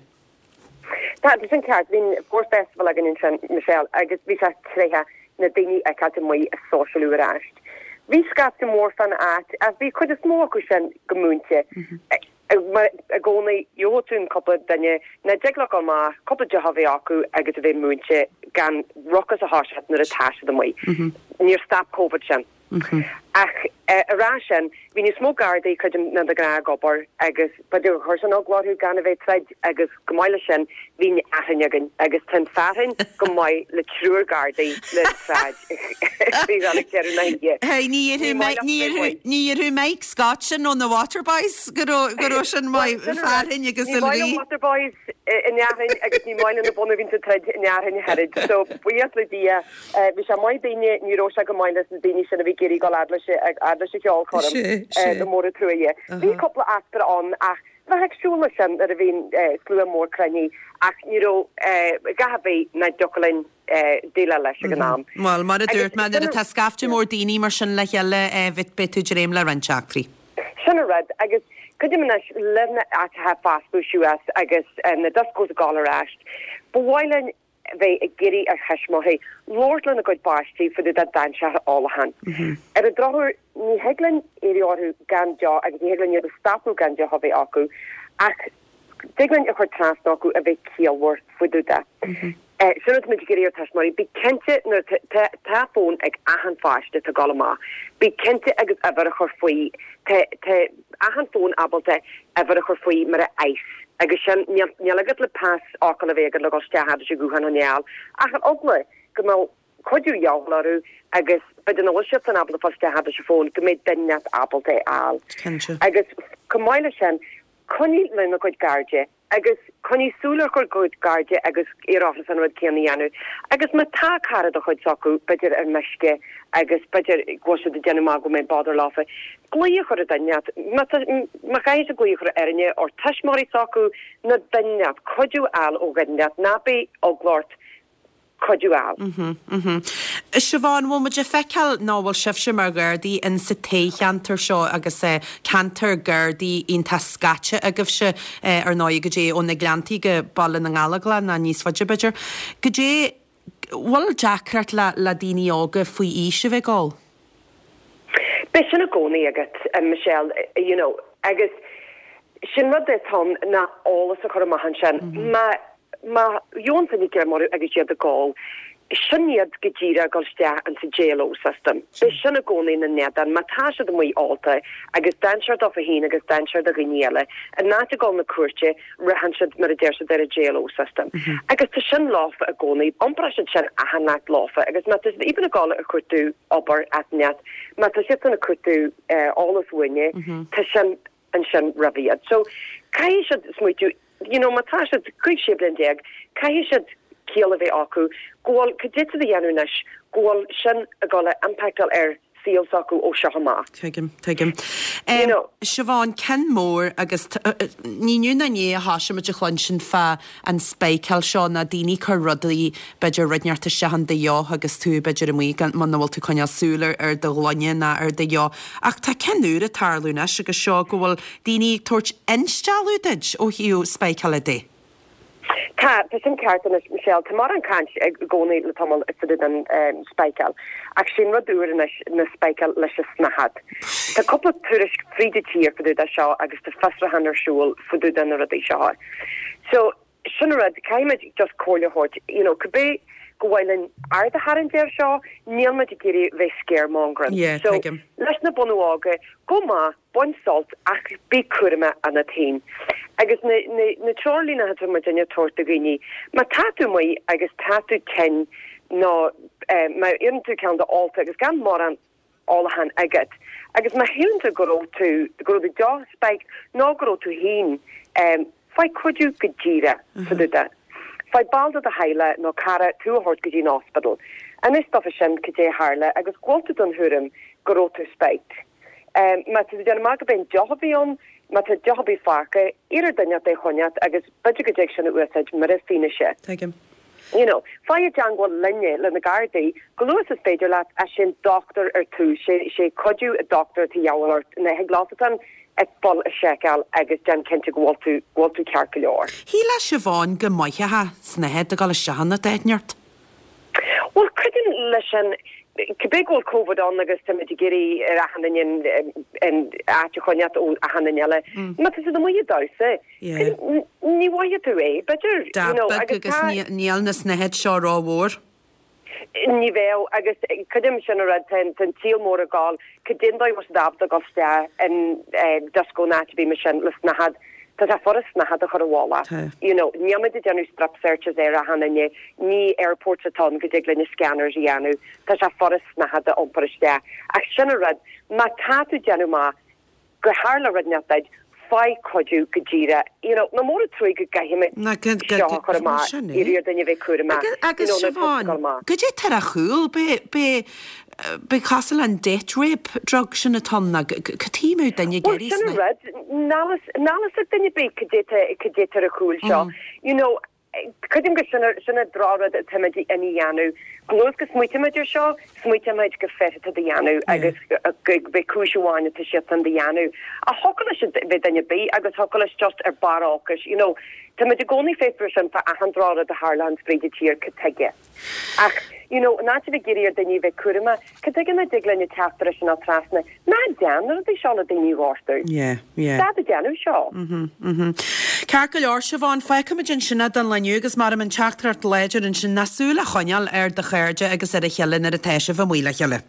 Tá, tá sin ceart. Bhí an Fómhar Festival againn ansin, Michelle, agus bhí sé tréitheach na daoine a fheiceáilt amuigh ag sóisialú ar ais. Bhí scaifte mór fán áit ach bhí cuid is mó acu sin go múinte. Mar i gcónaí, gheobhadh tú an cúpla duine nach dtig leo dul amach, cúpla deoch a bheith acu agus a bheith múinte gan rucas a thoiseacht nuair atá siad amuigh. Níor stop Covid sin. Ach a rá sin, bhí níos mó Gardaí, creidim, ná de ghnáth ag obair agus b'fhéidir gur chuir sin eagla orthu gan a bheith troid agus chomh maith leis sin bhí an fhearthainn againn agus tá an fearthainn go maith le triúr Gardaí le sráid faoi dhul ag deireadh na hoíche. Hey, ní dhéarfadh Mike Scott sin ó na Waterboys go raibh sin maith, fearthainn agus Ní maith le Waterboys an fhearthainn agus ní maith le na bunadh a bhíonn sa troid an fhearthainn ach oiread. So buíochas le Dia. Bhí sé maith daoine, ní raibh sé go maith leis na daoine sin a bhí ag iarraidh dul fhad leis fhad leis an cheolchoirm, le mór an truaighe. Bhí cúpla eachtra ann ach bheifeá ag siúl leis sin nuair a bhíonn slua mór cruinnithe ach ní raibh a dhath ar bith nach dtiocfadh linn déileáil leis ag an am. Bhuel, mar a dúirt mé, nuair atá scaifte mór daoine mar sin le chéile, beidh tú ag dréim le roinnt eachtraí. Sin an rud, agus creidim anois le na áiteacha ag foscladh suas agus na discos ag dul ar ais, ba mhaith linn bheith ag iarraidh ar thuismitheoirí labhairt lena gcuid páistí fá dtaobh de dainséar an ólacháin. Ar an drochuair, ní thig linn iarraidh orthu gan deoch agus ní thig linn iad a stopadh gan deoch a bheith acu, ach tig linn a chur trasna acu a bheith ciallmhar fá dtaobh de. Sin rud muid ag iarraidh ar tuismitheoirí, bí cinnte nuair tá tá fón ag achan pháiste atá ag dul amach, bí cinnte agus uimhir a chur faoi, tá tá achan fón ábalta uimhir a chur faoi mar a ICE agus sin, níl, níl agat le pasfhocal a bheith agat le dhul isteach fhad leis an ghuthán a choinneáil ach ar eagla go mbeadh cuidiú de dhíobháil orthu agus b'fhéidir nach bhfuil siadsan ábalta fáil isteach fhad leis an bhfón go mbeidh duine inteacht ábalta é a fháil. Cinnte. Agus chomh maith leis sin, coinnigh lena gcuid cairde. Agus coinnigh súil ar a gcuid cairde agus iarr orthu an rud céanna a dhéanamh. Agus má tá cara de chuid s'acu, b'fhéidir ar meisce agus b'fhéidir go bhfuil siad ag déanamh amach go mbeidh bother leofa, glaoch a chur ar duine inteacht. Má tá, má chaithfidh siad glaoch a chur ar éinne, ar tuismitheoirí s'acu nó duine inteacht, cuidiú a fháil ó dhuine inteacht, ná beidh eagla ort cuidiú a fháil. Siobhán, bhfuil muid ag feiceáil nó bhfuil sibhse mar Ghardaí in sa toghcheantar seo agus ceantar Gardaí iontach scaite agaibhse ar ndóigh goidé ó na Gleanntaí go Baile na nGallóglach nó níos faide b'fhéidir. Goidé, bhfuil deacracht le le daoine óga faoi aois a bheith ag ól? Beidh sin i gcónaí agat, Michelle, you know, agus sin rud atá ann ná eolas a chur amach ansin. Má, má gheobhann duine greim orthu agus iad ag ól, sin iad go díreach ag dul isteach insa JLO system. Beidh sin i gcónaí ina n-éadan. Má tá siad amuigh ólta agus dainséar dófa féin agus dainséar do dhaoine eile, in áit a dhul 'na cúirte, ritheann siad, mar a deir siad, ar an JLO system. Agus tá sin leofa i gcónaí. Iompróidh siad sin achan áit leofa agus má tá siad even ag dul ag cuartú obair as net, má tá siadsan ag cuartú eolas uainne, tá sin ansin roimh iad. So, caithfidh siad smaoitiú, you know, má tá siad 15, 16 bliain, caithfidh siad ciall a bheith acu go bhfuil, cad é tá siad a dhéanamh anois, go bhfuil sin ag dul a impactáil ar saol s'acu ó seo amach. Tuigim, tuigim. You know. Siobhán, ceann mór agus ní inniu ná inné a thoisigh muid a chluinstin fá an spiceáil seo ná daoine ag cur rudaí, b'fhéidir rud inteacht isteach in do dheoch agus tú b'fhéidir amuigh gan, muna bhfuil tú ag coinneáil súil ar, ar do ghloine ná ar do dheoch. Ach tá ceann úr ag tarlú anois agus seo go bhfuil daoine ag tabhairt instealladh duit ó thaobh spiceála de. Tá, tá sin ceart anois, Michelle. Tá mórán caint i gcónaí le tamall fá dtaobh den spiceáil, ach sé'n rud úr anois ná spiceáil leis an snáthaid. Tá cúpla tuairisc fríd an tír fá dtaobh de seo agus tá fiosrúchán ar siúl fá dtaobh de na rudaí seo. So, sin an rud, caithfimid just comhairle a thabhairt, you know, cibé gur mhaith linn aird a tharraingt air seo, níl muid ag iarraidh bheith scaremongering. Yeah, So, tuigim. leis na bunadh óga, go maith, Bain sult ach bí cúramach ionat féin. Agus na, na, na treoirlíne atá muidinne ag tabhairt do dhaoine, má tá tú amuigh agus tá tú tinn, Nó má éiríonn tú cineál de ólta agus gan mórán ólacháin agat agus má shíleann tú go raibh tú, go raibh do deoch spiked nó go raibh tú féin, faigh cuidiú go díreach fá dtaobh de. Faigh ball de do theaghlach nó cara tú a thabhairt go dtí an ospidéal. Inis dófa sin cad é a tharla agus go bhfuil tú den thuairim go raibh tú spiked. Má tá tú ag déanamh amach gurb é an deoch a bhí ann, má tá deoch ar bith fágtha, iarr ar duine inteacht é a choinneacht agus b'fhéidir go dtig sin a úsáid mar fhianaise. Tuigim. You know, faigh i dteangmháil linne, le na Gardaí, chomh luath is is féidir leat, ach sé an dochtúir ar tús, sé, sé cuidiú an dochtúir atá a dhíobháil ort, ná thig leofa an fuil a sheiceáil agus déan cinnte go bhfuil tú, go bhfuil tú ceart go leor. Shílfeá Siobhán go maithfeá snáthaid ag dul isteach ionat áit inteacht. Bhuel, creidim leis sin, cibé go bhfuil Covid ann agus táimid ag iarraidh ar achan duine an áit a choinneáilt ó achan duine eile, má tá siad amuigh ag damhsa, ní mhothóidh tú é, b'fhéidir, you know, agus tá. Níl na snáthaid seo rómhór. Ní bheadh, agus creidim sin an rud, tá an tsaol mór ag gabháil, cad é an dóigh a bhfuil siad ábalta dul isteach in dioscó nó áit ar bith mar sin le snáthaid, tá sé furast snáthaid a chur i bhfolach. You know, níl muid ag déanamh strip searches ar achan duine, ní airports atá ann go dtig linn na scanners a dhéanamh, tá sé furast snáthaid a iompar isteach. Ach sin an rud, má tá tú ag déanamh amach gur tharla rud inteacht duit, faigh cuidiú go díreach. You know, nach mór an truaigh go gcaithfimid seo a chur amach, iarraidh ar duine a bheith cúramach, you know, nuair atá tú ag dul amach. Siobhán, goidé tá ar a chúl? B'é, b'é cosúil le an date rape drug sin atá ann, nó cad tuige a mbeadh duine ag Bhuel, iarraidh sin an rud, níl fhios ag duine ar bith cad é tá, cad é tá ar a chúl seo. You know, Creidim gur sin sin an drochrud atáimid ina dhéanamh. Chomh luath is go smaoitímid ar seo, smaoitímid gur fir atá á dhéanamh agus gurb é cúis amháin atá siadsan á dhéanamh. Ach thiocfadh leis a bheith duine ar bith agus thiocfadh leis just ar barr olcais, you know. Táimid i gcónaí fiosrú sin fá achan drochrud a tharlaíonn fríd an tír, cad tuige? Ach, you know, in áit a bheith ag iarraidh ar daoine a bheith cúramach, cad tuige nach dtig linn an teachtaireacht sin a fháil trasna? Ná déan na rudaí seo le daoine a ghortú. Yeah, yeah. Stad ag déanamh seo. Mhm, mhm. Ceart go leor, Siobhán, fágfaimid ansin é don lá inniu agus mar an teachtaireacht láidir ansin ná súil a choinneáil ar do chairde agus ar a chéile nuair atá sibh amuigh le chéile.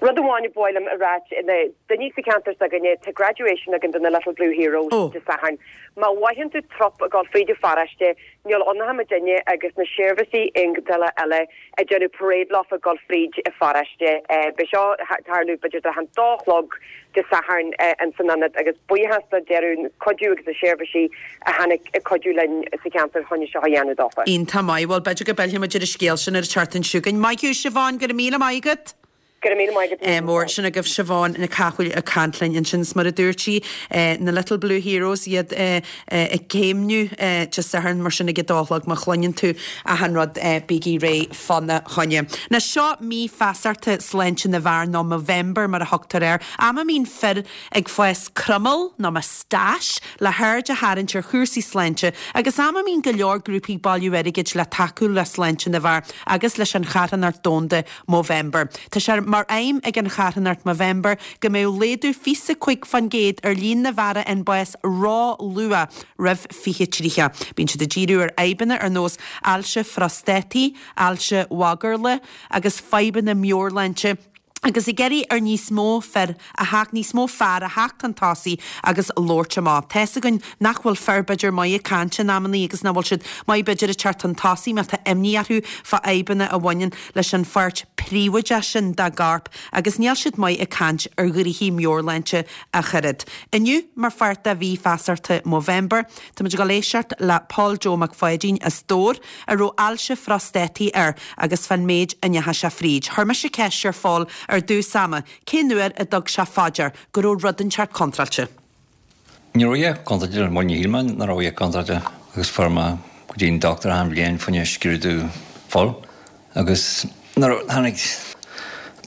Rud amháin a ba mhaith liom a ráit, na daoine sa cheantar s'againne, tá graduation againn do na Little Blue Heroes Dé Sathairn. Má mhothaíonn tú trup ag dul fríd an pharóiste, níl ann ach muidinne agus na seirbhísí éigeandála eile ag déanamh parade leofa ag dul fríd an pharóiste. Beidh seo ag tarlú b'fhéidir trátha an dó a chlog Dé Sathairn ins an ionad agus buíochas do deireadh cuidiú agus na seirbhísí a tháinig ag cuidiú linn sa cheantar chun é seo a dhéanamh dófa. Iontach maith. Bhuel, b'fhéidir go bpillfidh muid ar an scéal sin ar an tseachtain seo chugainn. Maith thú, Siobhán, go raibh míle maith agat. Go raibh míle maith agat. Mór. Sin agaibh Siobhán Nic Cathmhaoil ag caint linn ansin. Is mar a dúirt sí, na Little Blue Heroes, iad ag céimniú Dé Sathairn mar sin ag a dó a chlog. Má chluineann tú achan rud, bígí réidh fána choinne. Now seo mí feasachta sláinte na bhfear nó Movember mar a thugtar air. Am a mbíonn fir ag fás croiméal nó moustache le haird a tharraingt ar chúrsaí sláinte agus am a mbíonn go leor grúpaí ag bailiú airgid le tacú le sláinte na bhfear agus leis an charthanacht domhanda Movember. Tá sé mar aidhm ag an charthanacht Movember go mbeadh laghdú 25% ar líon na bhfear a fhaigheann bás ró-luath roimh 2030. Bíonn siad ag díriú ar fhadhbanna ar nós ailse phróstataí, ailse mhagarlaigh agus fadhbanna meabhairshláinte, agus ag iarraidh ar níos mó fir a theacht, níos mó fear a theacht chun tosaigh agus labhairt amach. Tá's againn nach bhfuil fir b'fhéidir maith ag caint in amannaí agus nach bhfuil siad maith b'fhéidir ag teacht chun tosaigh má tá imní orthu fá fhadhbanna a bhaineann leis an pháirt phríobháideach sin dá gcorp agus níl siad maith ag caint ar ghnoithí meabhairshláinte ach oiread. Inniu, mar pháirt de mhí feasachta Movember, táimid ag dul éisteacht le Paul Joe Mac Pháidín as Dobhar, a raibh ailse phróstataí air agus fán méid a ndeachaigh sé fríd. Chuir mise ceist ar Phól ar dtús ama cén uair a dtug sé fá dear go raibh rud inteacht contráilte. Ní raibh a dhath contráilte, bhuel ní shíl mé nach raibh a dhath contráilte agus fuair mé go dtí an dochtúir achan bhliain fá choinne scrúdú fuil agus nuair a tháinig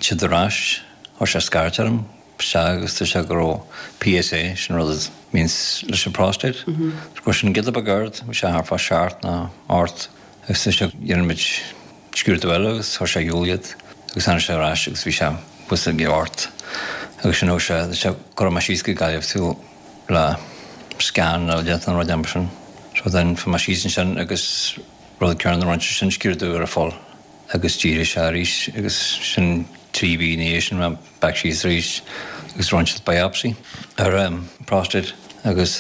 siad ar ais chuir sé scairt orm Sea, agus dúirt sé go raibh PSA, sin rud a bhíonns leis an prostate, go raibh sin giota beag ard, bhí sé thart fá sheacht nó ocht, agus dúirt sé dhéanfaidh muid scrúdú eile agus chuir sé ar shiúl iad agus tháinig sé ar ais agus bhí sé thuas ag ocht agus sin thug sé, dúirt sé cuirfidh mé síos go Gaillimh tú le scan eile a dhéanamh nó rud mar sin. So then fuair mé síos ansin agus rud céanna a rinne sé sin scrúdú ar an fuil agus d'éirigh sé arís agus sin 3 mhí ina dhiaidh sin mé back síos arís agus rinne siad biopsy ar an prostate agus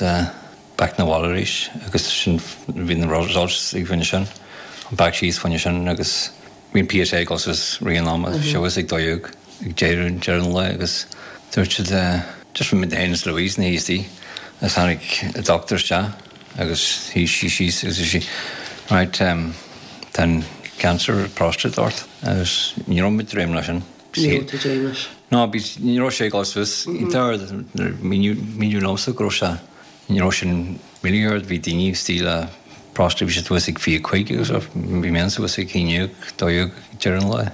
back na bhaile arís agus sin bhí na results ag fá choinne sin back síos fá choinne sin agus. Bhí an PSA ag dul suas rith an ama, bhí sé suas ag 12 ag deireadh deireadh an lae agus dúirt siad just bhí muid féin is Louise ina shuí istigh agus tháinig an doctor isteach agus shuigh sí síos agus dúirt sí right tá an cancer prostate ort agus ní raibh muid ag dréim leis sin. Ní raibh tú ag dréim leis? No, bhí ní raibh sé ag dul suas iontach ard, míniú liomsa go raibh sé Ní raibh sin really ard, bhí daoine istigh le prostate, bhí siad suas ag 25 agus bhí mé suas ag 11, 12 deireadh an lae.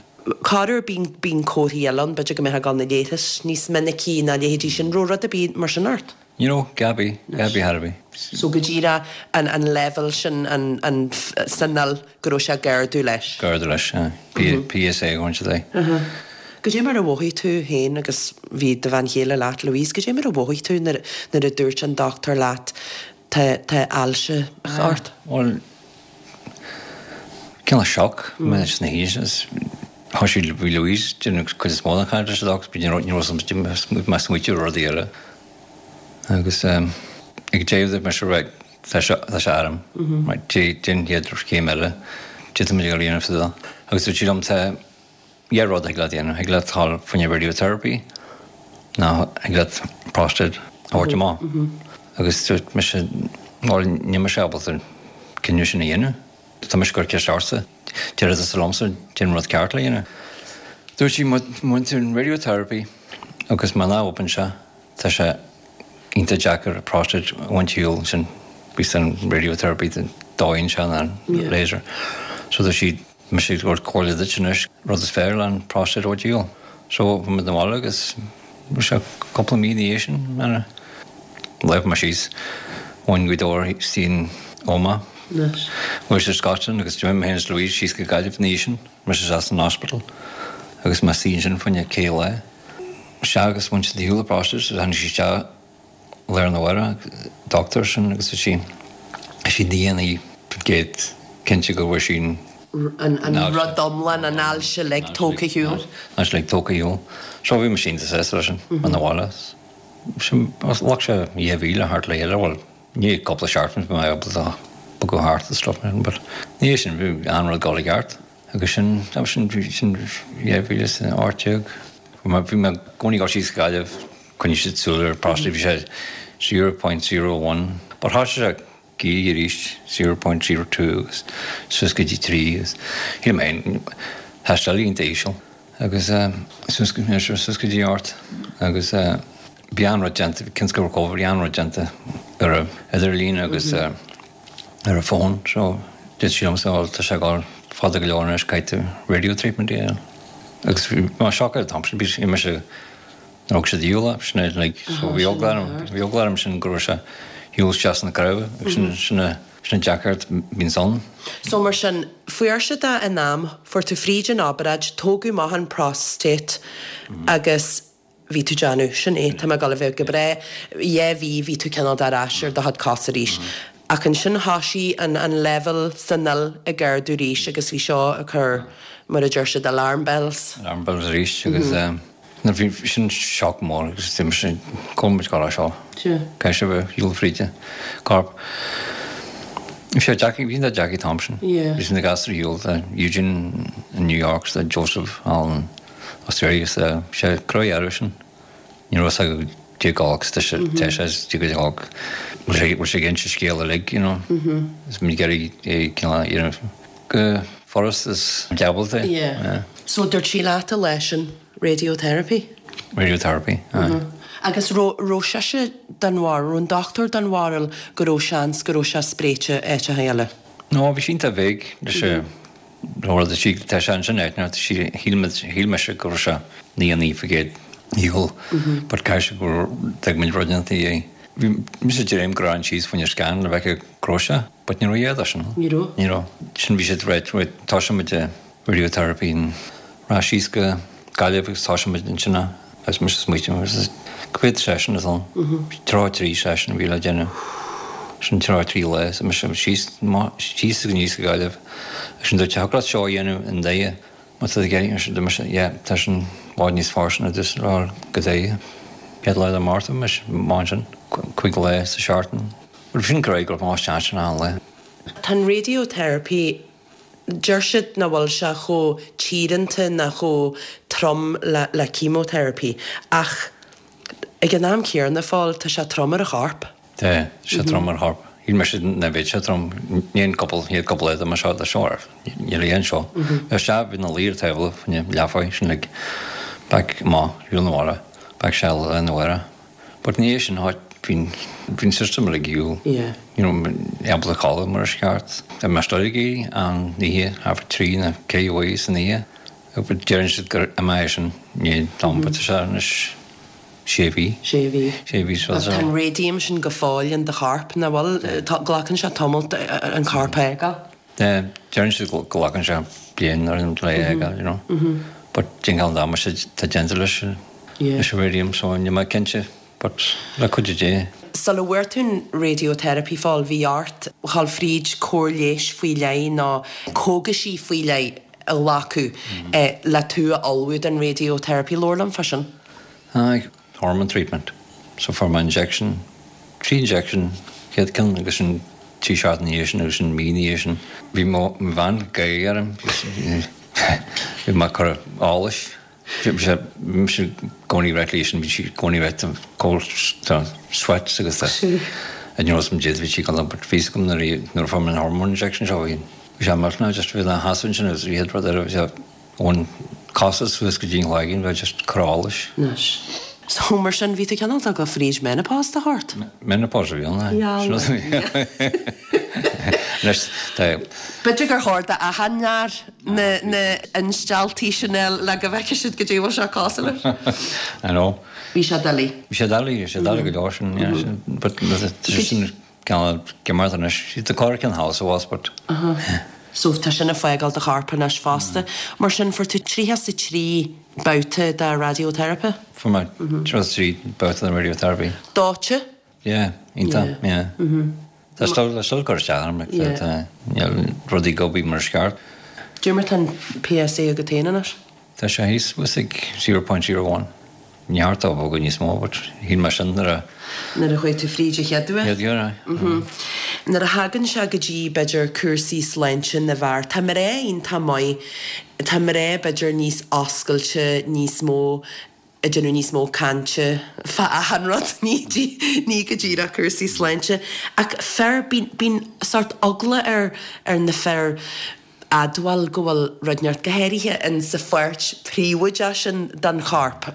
Corruair bíonn, bíonn comharthaí eile ann, b'fhéidir go mbeifeá ag dul na leithris níos minicí ná leithéidí sin, raibh rud ar bith mar sin ort? Ní raibh, Gaby, Gaby thar a bith. So go díreach an, an leibhéal sin, an, an, san fhuil, go raibh sé ag ardú leis. Ag ardú leis, aye. PSA a ghabhann siad é. Goidé mar a mhothaigh tú féin agus bhí do bhean chéile leat, Louise, goidé mar a mhothaigh tú nuair nuair a dúirt an dochtúir leat tá tá ailse ort? Bhuel, cineál shock, mé sna haois. Thosaigh bhí Louise ag déanamh cuid is mó den chaint leis an doc, ní raibh ní raibh mé ag smaoitiú ar rudaí eile. Agus ag deireadh dúirt mise right, Tá sé tá sé orm. Right, déan an chéad chéim eile. D'fhéadfadh muid a dhul a dhéanamh sa Agus dúirt sí liom tá dhá rud a thig leat a dhéanamh. Thig leat dul fá choinne radiotherapy nó thig leat prostate a thabhairt amach. Agus dúirt mise bhuel níl mise ábalta an cinneadh sin a dhéanamh. Tá mise ag cur ceist ortsa. Déarfaidh tusa liomsa cén rud ceart le dhéanamh. Dúirt sí má bhain tú an radiotherapy agus má ná oibríonn sé Tá sé iontach deacair an prostate a bhaint ar shiúl ansin bíos an radiotherapy dóigh sé ná an laser. So dúirt sí mise ag tabhairt comhairle duit anois rud is fearr le an prostate a bhaint ar shiúl. So bhí muid na bhaile agus bhí sé cúpla mí ina dhiaidh sin mar a léigh mé síos bhain Gaoth Dobhair istigh in Omagh. Bhuail sé Scotland agus d'imigh mé féin is Louise síos go Gaillimh ina dhiaidh sin, mise isteach san hospital agus mé suí ansin fá choinne cé lá. Sea, agus bhain siad ar shiúl an prostate agus tháinig sí isteach lá arna mhárach, doctor sin agus dúirt sí, is í 99% cinnte go bhfuair sí an. an rud iomlán, an ailse uilig tógtha ar shiúl. An ailse uilig tógtha ar shiúl. So bhí mise iontach sásta leis sin, ina bhaile. Sin, ghlac sé dhá mhí le thart le chéile, bhuel, ní cúpla seachtain bhí mé ábalta bogadh thart is stuff mar sin, but ina dhiaidh sin bhí an rud ag dul i gceart. Agus sin, sin, sin 2018. Bhí mé i gcónaí ag dul síos go Gaillimh, coinnigh siad súil ar prostate, bhí sé 0.01, but thosaigh sé ag éirí arís, 0.02 agus suas go dtí 3 agus shíl mé féin, tá sé iontach íseal agus suas go, suas go dtí 8 agus bhí an-rud déanta, cionn is go raibh Covid, bhí an-rud déanta ar an idirlíon agus ar an bhfón so dúirt sí liomsa bhuel tá sé ag dul fada go leor anois caithfidh tú radio treatment a dhéanamh agus bhí mé shocked an t-am sin bhí mise nuair a thug siad ar shiúl é sin é like so bhí eagla orm bhí eagla orm sin go raibh sé shiúl isteach sna cnámha agus sin sin a sin an deacracht a bhíonns ann. So mar sin fuair siad é in am fuair tú fríd an obráid tógadh amach an prostate agus bhí tú ag déanamh, sin é, tá mé ag dul a bheith go breá, dhá mhí bhí tú cineál de ar ais ar do chuid cos arís. Ach ansin thoisigh an an leibhéal san fhuil ag ardú arís agus bhí seo ag cur, mar a deir siad, alarm bells. Alarm bells arís agus nuair bhí sin shock mór agus bhí mise, cá bhfuil muid ag dul as seo? Caithfidh sé a bheith ar shiúl fríd an corp. Bhí sé deacair, bhí sé deacair an t-am sin. Bhí na gasúir ar shiúl, tá Eugene in New York, tá Joseph thall in Australia agus sé croí orthu sin. Ní raibh fhios acu cé go agus tá sé tá sé cé go bhfuil sé bhfuil sé ag inse scéal uilig you know. Is muid ag iarraidh é cineál a dhéanamh go furast is diabhalta. Yeah. So dúirt sí leat an lá sin radiotherapy? Radiotherapy, aye. Agus raibh raibh sise den bharúil, raibh an dochtúir den bharúil go raibh seans go raibh sé spréite áiteacha eile? No, bhí sí iontach vague leis an rud a sí, tá sé ansin áit, shíl muid, shíl mise go raibh sé 99% ar shiúl but caithfidh sé go dtuig muid rud inteacht é. Bhí mise ag dréim go raibh síos fá choinne scan le bhfeiceadh go raibh sé but ní raibh a dhath de sin. Ní raibh? Ní raibh. Sin bhí siad right, right, toiseoidh muid radiotherapy and rachaidh síos go Gaillimh agus toiseoidh muid ansin agus mise ag smaoitiú agus go bhféadfadh seisean is ann. 33 session a bhí le déanamh. Sin 33 lá so mise síos síos agus aníos go Gaillimh agus sin dúirt thiocfadh leat seo a dhéanamh i nDoire má tá tú ag iarraidh dúirt mise yeah tá sin i bhfad níos fearr sin a rá go Doire. Chéad lá de Márta mise amach ansin cúig lá sa seachtain. Bhuel sin go raibh go raibh mé isteach ansin achan lá. Tá an radiotherapy. Deir siad nach bhfuil sé chomh tíoránta ná chomh trom le le chemotherapy ach ag an am céanna, Phóil, tá sé trom ar an chorp. Tá sé trom ar an chorp. Shíl mise nach mbeadh sé trom. Ní an cúpla, chéad cúpla lá de seo le seo ar. Níl aon seo. Bheadh sé, bhí na laoire taobh le, leathmhaith, sin like back amach, shiúl na mhara, back seal le na mhara. But ní é sin áit, bhí an system uilig ag siúl, you know, ábalta codladh mar is ceart. Tá mé still ag éirí an oíche, thart fá trí nó ceithre uair san oíche. But deireann siad gur imeoidh sin i ndiaidh am, but tá sé anois sé mhí. Sé mhí. Sé mhí so. Tá an radium sin go fóill in do chorp, nach bhfuil? Glacann sé tamall an corp a fhágáil. Deireann siad go nglacann sé bliain ar an le é a fhágáil, you know. But déanann an damáiste atá déanta leis leis an radium so níl mé cinnte but le cuidiú Dé. Sula bhfuair tú an radiotherapy Phóil, bhí ort dhul fríd cóir leighis faoi leith nó cógaisí faoi leith a ghlacadh le tú a ullmhú don radiotherapy. Labhair liom fá sin. Aye. Hormone treatment. So fuair mé injection, trí injection, chéad ceann agus sin trí seachtain ina dhiaidh sin agus sin mí ina dhiaidh sin. Bhí mo bhean ag gáire orm, bhí mé ag cur allais. Bhí mise i gcónaí ag ráit léi sin, bhí sí i gcónaí ag ráit cold sweats agus I know some did, bhí sí ag but bhí a fhios agam nuair a fuair mé an hormone injection seo bhí sé millteanach just bhí na sheasamh ansin agus bhí rud eile bhí sé Ón cosa suas go dtí an chloigeann, bheith just cur allais. Anois. So, mar sin, bhí tú cineál ag dul fríd menopause de shórt? Menopause a bhí ann, aye. Sin rud a bhí. Anois, tá. B'fhéidir gur chóir d'achan fhear na na instealltaí sin a fháil le go bhfeicfidh siad goidé bhfuil sé cosúil leis. I know. Bhí sé doiligh. Bhí sé doiligh, bhí sé doiligh go leor sin, yeah. But, sin Ceann cimeart anois. Tá cor ceann thall sa bhás but. So tá sin ag fágáil do chorp anois fosta. Mar sin fuair tú 33 babhta de radiotherapy? Fuair mé 33 babhta de radiotherapy. Dóite? Yeah, iontach, yeah. Tá still, tá still ag cur isteach orm, like, tá, níl rudaí ag obair mar is ceart. Cad é mar tá an PSA agat féin anois? Tá sé thíos thuas ag 0.01. Ní cheart dó bogadh níos mó but shíl mé sin nuair a. Nuair a chuaigh tú fríd an chéad uair. Chéad uair, aye. Nuair a thagann sé go dtí, b'fhéidir, cúrsaí sláinte na bhfear, tá mná iontach maith, tá mná, b'fhéidir, níos oscailte, níos mó, ag déanamh níos mó cainte fá achan rud, ní, ní go díreach cúrsaí sláinte. Ach fir, bíonn, bíonn sórt eagla ar, ar na fir, admháil go bhfuil rud inteacht, go háirithe in sa pháirt phríobháideach sin den chorp.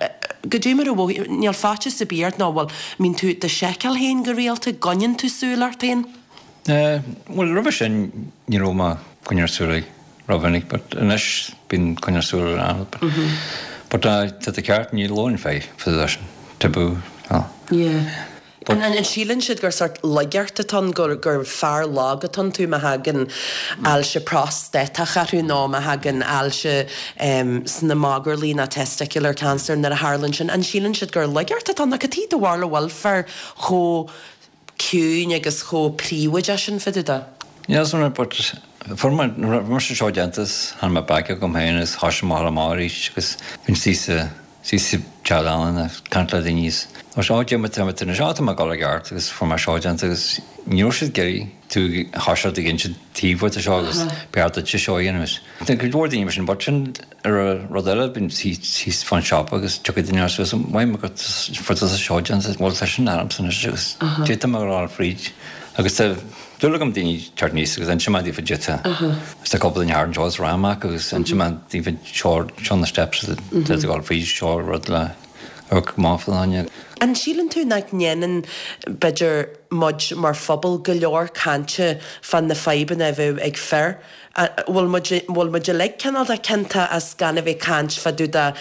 Goidé mar a mhothaíonn, níl faitíos ar bith ort nó bhfuil, mbíonn tú do sheiceáil féin go rialta, gcoinníonn tú súil ort féin? Eh, bhuel roimhe sin ní raibh mé coinneáil súil rómhinic but anois bíonn coinneáil súil ann but but tá tú ceart ní labhrann fir fá leis an tabú. Yeah. An síleann siad gur sórt laigeacht atá ann, gur fear lag atá iontu má thagann ailse prostatach orthu nó má thagann ailse sna magairlí nó testicular cancer nuair a tharlann sin? An síleann siad gur laigeacht atá ann? Nó cad chuige do bharúil a bhfuil fir chomh ciúin agus chomh príobháideach sin fá dtaobh de? Níl 'fhios agam but fuair mé, nuair a bhí mise seo déanta tháinig mé back agam féin agus thoisigh mé a dhul amach arís agus bhí sí Suí sa teach leanna ag caint le daoine is ó Dia tá mé anois á tá mé ag dul i gceart agus fuair mé seo déanta agus ní raibh siad ag iarraidh tú a thoiseacht ag inse taobh de seo agus b'fhearr duitse seo a dhéanamh is tá cuid mhór daoine mar sin but sin ar rud eile bíonn thíos fán siopa agus tiocfaidh duine suas mhaith mé go fuair tusa seo déanta bhuel tá sin ormsa anois agus d'fhéadfadh mé a rá fríd agus tá dúil agam daoine teacht aníos agus inse mé daofa duit Agus tá cúpla duine thart anseo is Ramach agus inse mé daofa seo seo na steps atá ag dul fríd seo rud le amharc amach fá dhuine. An síleann tú nach ndéanann, b'fhéidir, muid mar phobal go leor cainte fá na fadhbanna a bheadh ag fir? Bhfuil muid, bhfuil muid uilig cineál de ciontach as gan a bheith ag caint fá dtaobh de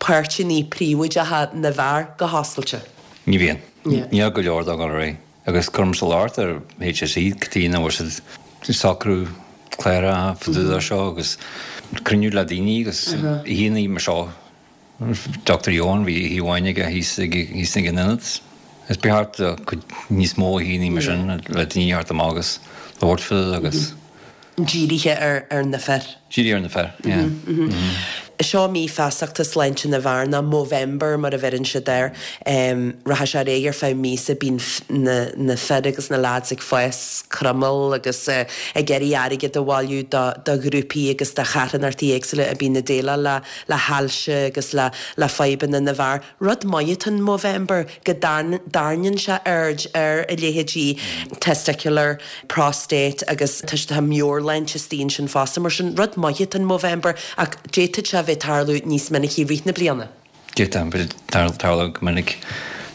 páirteanna príobháideacha na bhfear go hoscailte? Ní bhíonn. Níl go leor dá dhul ar aghaidh. Agus cuirimse locht ar HSE cad chuige nach bhfuil siad ag socrú cláracha fá dtaobh de seo agus cruinniú le daoine agus oícheanna mar seo. Dr Eoin, bhí oíche amháin aige thíos thíos ag an ionad. Is ba cheart do cuid níos mó oícheanna mar sin le daoine a theacht amach agus labhairt fá dtaobh agus. Dírithe ar na fir. Dírithe ar na fir, yeah. Seo mí feasachta sláinte na bhfear, nó Movember mar a bheireann siad air. Rachaidh sé ar aghaidh ar feadh míosa, bíonn na fir agus na lads ag fás croiméal agus ag iarraidh airgead a bhailiú do ghrúpaí agus do charthanachtaí éagsúla a bíonn ag déileáil le hailse agus le fadhbanna na bhfear. Rud maith atá in Movember go dtarraingíonn sé aird ar a leithéidí testicular, prostate agus tá tá meabhairshláinte istigh ansin fosta. Mar sin, rud maith atá in Movember ach d'fhéadfadh sé a bheith ag tarlú níos minicí i rith na bliana. D'fhéadfadh a bheith ag tarlú go minic.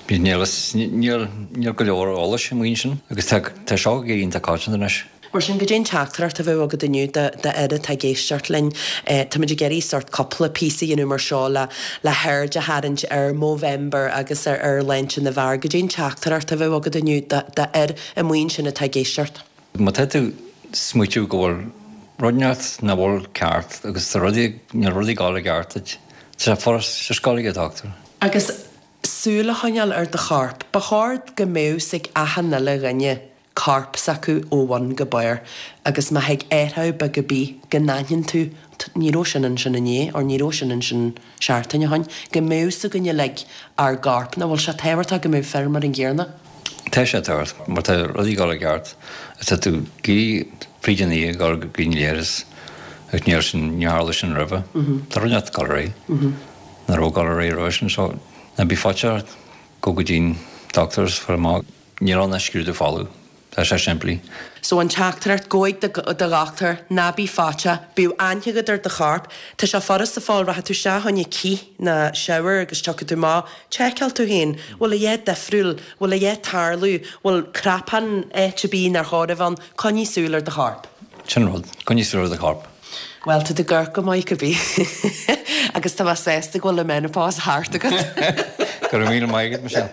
Níl níl níl go leor eolais amuigh ansin agus tá tá seo ag éirí iontach coitianta anois. Mar sin, goidé an teachtaireacht a bheadh agat inniu do fhir atá ag éisteacht linn? Táimid ag iarraidh sórt cúpla píosa a dhéanamh mar seo le le haird a tharraingt ar Movember agus ar ar shláinte na bhfear. Goidé an teachtaireacht a bheadh agat inniu do fhir amuigh ansin atá ag éisteacht? Má tá tú ag smaoitiú go bhfuil rud inteacht nach bhfuil ceart agus tá rudaí, níl rudaí ag dul i gceart duit, tá sé furast just gabháil ag an dochtúir. Agus súil a choinneáil ar do chorp. Ba chóir go mbeadh 's ag achan uile dhuine corp s'acu ó bhun go barr agus má thig athrú beag ar bith go n-aithníonn tú ní raibh sin ansin inné or ní raibh sin ansin seachtain ó shin, go mbeadh 's againn uilig ár gcorp, nach bhfuil sé tábhachtach go mbeadh fir mar an gcéanna? Tá sé tábhachtach má tá rudaí ag dul i gceart is tá tú ag éirí fríd an oíche ag dul go dtí an leithreas agus níl sin, níor tharla sin roimhe. Tá rud inteacht ag dul ar aghaidh. Nach raibh ag dul ar aghaidh roimhe sin so ná bí faitíoch gabh go dtí an doctor is fáil amach. Níl ann ach scrúdú fola. Tá sé simplí. So an teachtaireacht, gabh chuig do dhochtúir, ná bí faiteach, bíodh aithne agat ar do chorp. Tá sé furasta fáil, rachaidh tú isteach fá choinne cith ná shower agus tiocfaidh tú amach, tseiceáil tú féin, bhfuil a dhath difriúil, bhfuil a dhath ag tarlú, bhfuil cnapán áit ar bith nár chóir a bheith ann, coinnigh súil ar do chorp. Sin rud, coinnigh súil ar do chorp. Bhuel, tá tú ag amharc go maith cibé. Agus tá mé sásta go bhfuil an menopause thart agat. Go raibh míle maith agat, Michelle.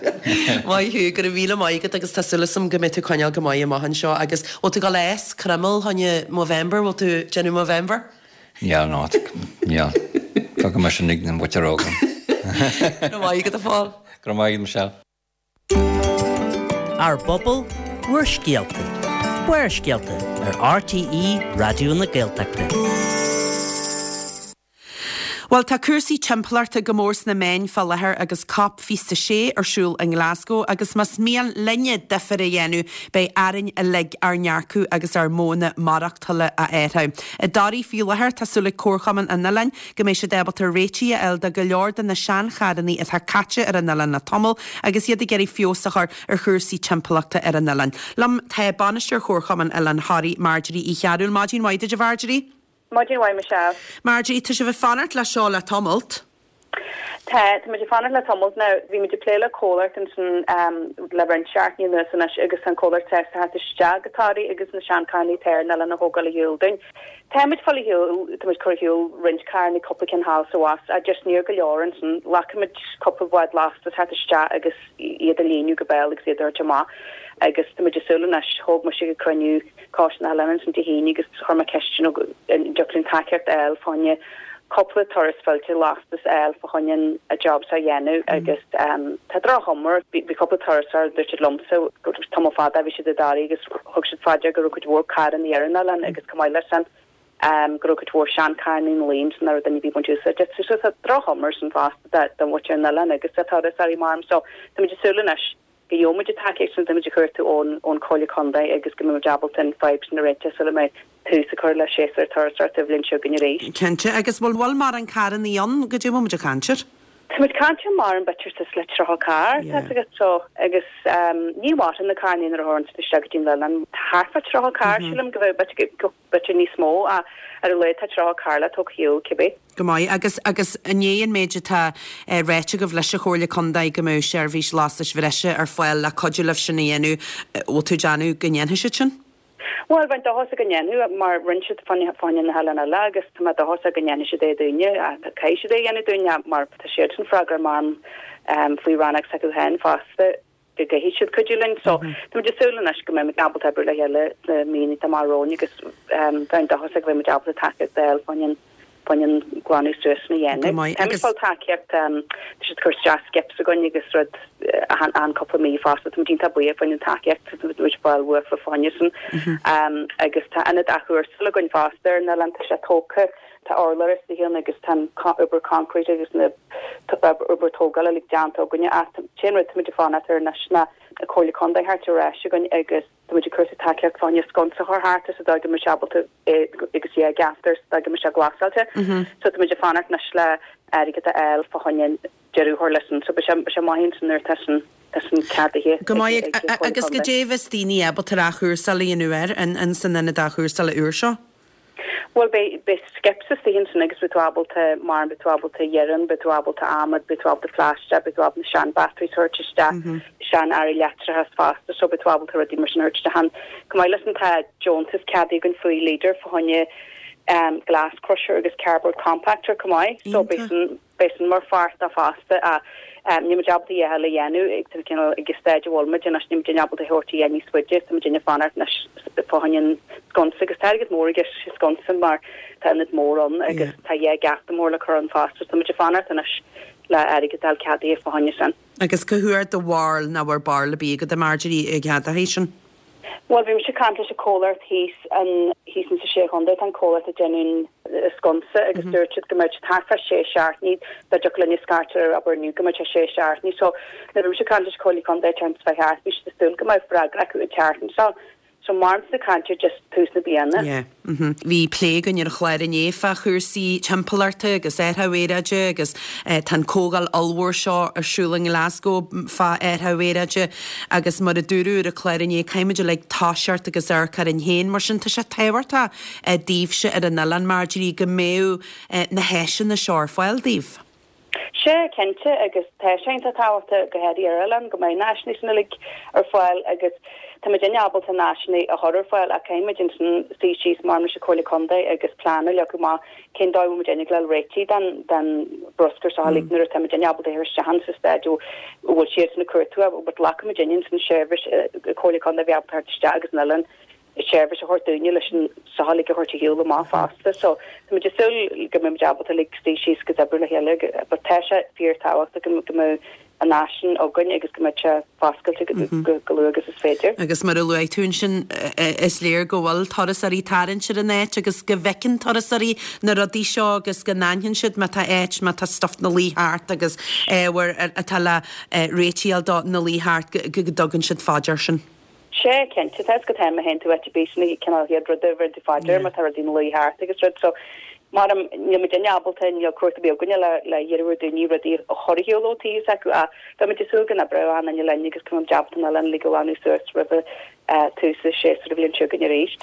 Maith thú, go raibh míle maith agat agus tá súil agam go mbeidh tú ag coinneáil go maith amach anseo agus bhfuil tú ag dul ag fás croiméal fá choinne Movember, bhfuil tú ag déanamh Movember? Níl, not, níl. Fágfaidh mé sin ag an mhuintir óga. Go raibh maith agat, a Phóil. Go raibh maith agat, Michelle. Ár bpobal, bhur scéalta. Barrscéalta ar RTÉ Raidió na Gaeltachta. Bhuel, tá cúrsaí timpeallachta go mór sna meáin fá láthair agus Cop 26 ar siúl i nGlasgow agus más mian linne difear a dhéanamh, beidh orainn uilig ár ndearcadh agus ár modhanna maireachtála a athrú. I dToraigh faoi láthair, tá súil ag Comharchumann an Oileáin go mbeidh siad ábalta réitigh a fháil do go leor de na seancharrannaí atá caite ar an oileán le tamall agus iad ag iarraidh feabhas a chur ar chúrsaí timpeallachta ar an oileán. Liom tá Bainisteoir Chomharchumann Oileán Thoraí, Marjorie Uí Chearúil. Maidin mhaith duit, a Mharjorie. Maidin mhaith, Michelle. Marjorie, tá sibh ag fanacht le seo le tamalt. Tá, tá muid ag fanacht le tamalt now. Bhí muid ag plé le comhlacht ansin le roinnt seachtainí anuas anois agus tá an comhlacht sásta theacht isteach go Toraigh agus na seancharrannaí atá ar an oileán a thógáil ar shiúl dúinn. Tá muid fáil ar shiúl, tá muid cur ar shiúl roinnt carrannaí, cúpla ceann thall is abhus, ach just níor go leor ansin. Ghlac muid cúpla bád lastais theacht isteach agus iad a líonadh go béal agus iad a thabhairt amach agus tá muid ag súil anois, thóg mise go cruinniú Coiste na hOileáin ansin Dé hAoine agus chuir mé ceist you know an dtiocfadh linn tacaíocht a fháil fá choinne cúpla turas fillte lastais a fháil fá choinne an job seo a dhéanamh agus tá droch-chuma air. Bhí cúpla turasóir dúirt siad liomsa go raibh tamall fada a bhí siad i dToraigh agus thug siad fá dear go raibh cuid mhór carrannaí ar an oileán agus chomh maith leis sin go raibh cuid mhór seancharrannaí ina luí ansin nach raibh duine ar bith ag baint úsáid astu. So tá droch-chuma air sin fosta do mhuintir an oileáin agus do thurasóirí mar so táimid ag súil anois go gheobhaidh muid an tacaíocht sin, táimid ag cuartú ón ón Chomhairle Contae agus go mbeidh muid ábalta an fadhb sin a réiteach sula mbeidh tús á chur le séasúr turasóireachta an bhliain seo chugainn arís. Cinnte. Agus bhfuil bhfuil mórán carrannaí ann? Goidé a bhfuil muid ag caint air? Tá muid ag caint ar mórán b'fhéidir suas le 30 carr, tá 'fhios agat so agus ní mhaireann na carrannaí nuair a thabharann siad isteach go dtí an oileán. Thart fá 30 carr sílim go bheadh b'fhéidir go b'fhéidir níos mó ach ar a laghad tá 30 carr le tógáil ar shiúl cibé. Go maith. Agus, agus i ndiaidh an méid atá ráite agaibh leis an Chomhairle Contae go mbeadh seirbhís lastais bhreise ar fáil le cuidiú libh sin a dhéanamh, bhfuil tú ag déanamh go ndéanfaidh siad sin? Bhuel, bheinn dóchasach go ndéanfaidh, mar rinne siad fá choinne na hoileáin eile agus tá mé dóchasach go ndéanfaidh siad é dúinne. Caithfidh siad é a dhéanamh dúinne mar tá siadsan freagrach mar faoi rannóg s'acu féin fosta. go gcaithfidh siad cuidiú linn. So, tá muid ag súil anois go mbeidh muid ábalta oibriú le chéile sna míonna atá amach romhainn agus bheinn dóchasach go mbeidh muid ábalta tacaíocht a fháil fá choinne. Fá choinne an glanadh suas sin a dhéanamh. Go maith. Táimid ag fáil tacaíocht, tá siad ag cur isteach skips againn agus rud achan cúpla mí fosta, táimid iontach buíoch fá choinne an tacaíocht atá muid ag fáil uafa fá choinne sin. Agus tá ionad athchúrsála againn fosta ar an oileán, tá sé tógtha, tá urlár istigh ann agus tá an obair concrete agus na obair tógála uilig déanta againne ach an t-aon rud táimid ag fanacht air anois ná Comhairle Contae a theacht ar ais chugainn agus Tá muid ag cuartú tacaíocht fá choinne sconsa a chur thart sa dóigh go mbeidh sé ábalta é agus é geaftar sa dóigh go mbeidh sé glasáilte. So tá muid ag fanacht anois le airgead a fháil fá choinne deireadh a chur leis sin. So beidh sé beidh sé maith ansin nuair atá sin tá sin ceadaithe Go ag maith ag an Chomhairle agus Contae. goidé bheas daoine ábalta ar athchúrsáil a dhéanamh air in san ionad athchúrsála úr seo? Bhuel, beidh, beidh skips istigh ansin agus beidh tú ábalta, mar, beidh tú ábalta iarann, beidh tú ábalta adhmad, beidh tú ábalta plaisteach, beidh tú ábalta na sean-batteries a thabhairt isteach, sean-earraí leictreachais fosta, so beidh tú ábalta rudaí mar sin a thabhairt isteach ann. Chomh maith leis sin tá deontas ceadaithe againn faoi Leader fá choinne glass crusher agus cardboard compactor chomh maith, so beidh sin, Beidh sin mar pháirt de fosta ach níl muid ábalta a dhath eile a dhéanamh ag tá cineál ag an staid a bhfuil muid anois níl muid ábalta a thabhairt a dhath níos faide tá muid ag fanacht anois fá choinne an sconsa agus tá airgead mór i gceist sa sconsa mar tá ionad mór ann agus tá dhá gheafta mór le cur ann fosta so tá muid ag fanacht anois le airgead a fháil ceadaithe fá choinne sin. Agus cá huair do bharúil nach bhfuil barúil ar bith agat a Marjorie ag ceadaithe sin? Bhuel, bhí mise ag caint leis an comhlacht thíos an, thíos insa Sé Chontae, tá an comhlacht ag déanamh an sconsa agus dúirt siad go mbeadh sé thart fá sé seachtainí, dá dtiocfadh linn scairt ar abair inniu go mbeadh sé sé seachtainí. So, nuair a bhí mise ag caint leis an Comhairle Contae an tseachtain seo thart, bhí siad ag súil go mbeadh freagra acu an tseachtain seo. So, mar mise ag caint ar just tús na bliana. Yeah. Bhí plé againn ar an chlár inné fá chúrsaí timpeallachta agus athrú aeráide agus tá an comhdháil ollmhór seo ar siúl i nGlasgow fá athrú aeráide agus mar a dúradh ar an chlár inné caithfimid uilig toiseacht agus amharc orainn féin. Mar sin tá sé tábhachtach daoibhse ar an oileán, Marjorie, go mbeadh na háiseanna seo ar fáil daoibh. Sea, cinnte, agus tá sé iontach tábhachtach, go háirithe ar oileán, go mbeidh na háiseanna sin uilig ar fáil agus tá muidinne ábalta na háiseanna a chur ar fáil ach caithfidh muid ansin suí síos mar leis an Comhairle Contae agus plean a leagadh amach cén dóigh a bhfuil muidinne ag dul réitigh den den bruscar seo uilig nuair atá muidinne ábalta a chur isteach ann sa staid a bhfuil siadsan ag cuartú but glacfaidh muidinne ansin seirbhís Comhairle Contae a bheith ábalta theacht isteach agus an oileán seirbhís a thabhairt dúinne leis an seo uilig a thabhairt ar shiúl amach fosta. So tá muid ag súil go mbeidh muid ábalta uilig suí síos agus oibriú le chéile but tá sé fíor tábhachtach go go mbeadh an áis sin againn agus go mbeadh sé foscailte go go luath agus is féidir. Agus mar a luaigh tú ansin is léir go bhfuil turasóirí ag tarraingt ar an áit agus go bhfeiceann turasóirí na rudaí seo agus go n-aithníonn siad má tá áit, má tá stuif 'na luí thart agus ábhar atá le réitíl dó 'na luí thart go dtugann siad fá dear sin. Sea, cinnte, tá 'fhios agat má théann tú áit ar bith sin an cineál chéad rud a bheireann tú fá dear má tá rudaí ina luí thart agus rud so mar a níl muidinne ábalta, níl cumhacht ar bith againne le le hiarraidh ar daoine rudaí a chur ar shiúl ó taobh s'acu ach beidh muid ag súil go n-oibreoidh achan duine linn agus go mbeidh muid ábalta an oileán uilig a ghlanadh suas roimhe tús an séasúr an bhliain seo chugainn arís.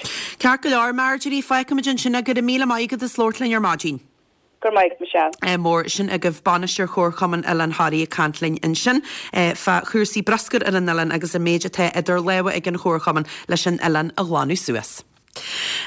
Ceart go leor, Marjorie, fágfaimid ansin é. Go raibh míle maith agat as labhairt linn ar maidin. Go raibh maith agat, Michelle. mór. Sin agaibh Bainisteoir Chomharchumann Oileán Thoraí ag caint linn ansin fá chúrsaí bruscair ar an oileán agus an méid atá idir lámha ag an Chomharchumann leis an oileán a ghlanadh suas.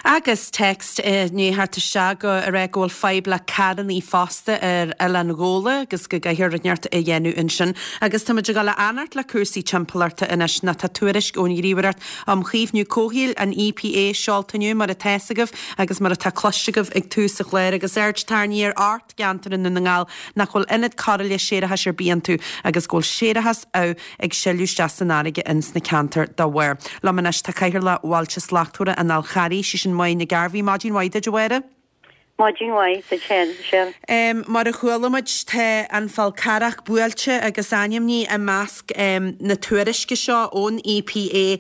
Agus text i ndiaidh theacht isteach go ag rá go bhfuil fadhb le carrannaí fosta ar Oileán Ghabhla agus go gcaithfear rud inteacht a dhéanamh ansin. Agus tá muid ag dul a fhanacht le cúrsaí timpeallachta anois nó tá tuairisc ón Ghníomhaireacht um Chaomhnú Comhshaoil, an EPA, seolta inniu mar atá 'fhios agaibh agus mar atá cloiste agaibh ag tús an chláir agus aird tarraingthe ar ocht gceantar i nDún na nGall nach bhfuil ionad cóireála séarachais ar bith iontu agus go bhfuil séarachas amh ag sileadh isteach san fharraige ins na ceantair dá bharr. Liom anois tá Cathaoirleach Bhailte Slachtmhara an Fháil Charraigh, sí sin Máire Nic Gairbhí. Maidin mhaith duit a Mháire. Maidin mhaith duit féin, Michelle. Mar a chuala muid, tá an Fál Carrach buailte agus ainmnithe i measc na tuairisce seo ón EPA.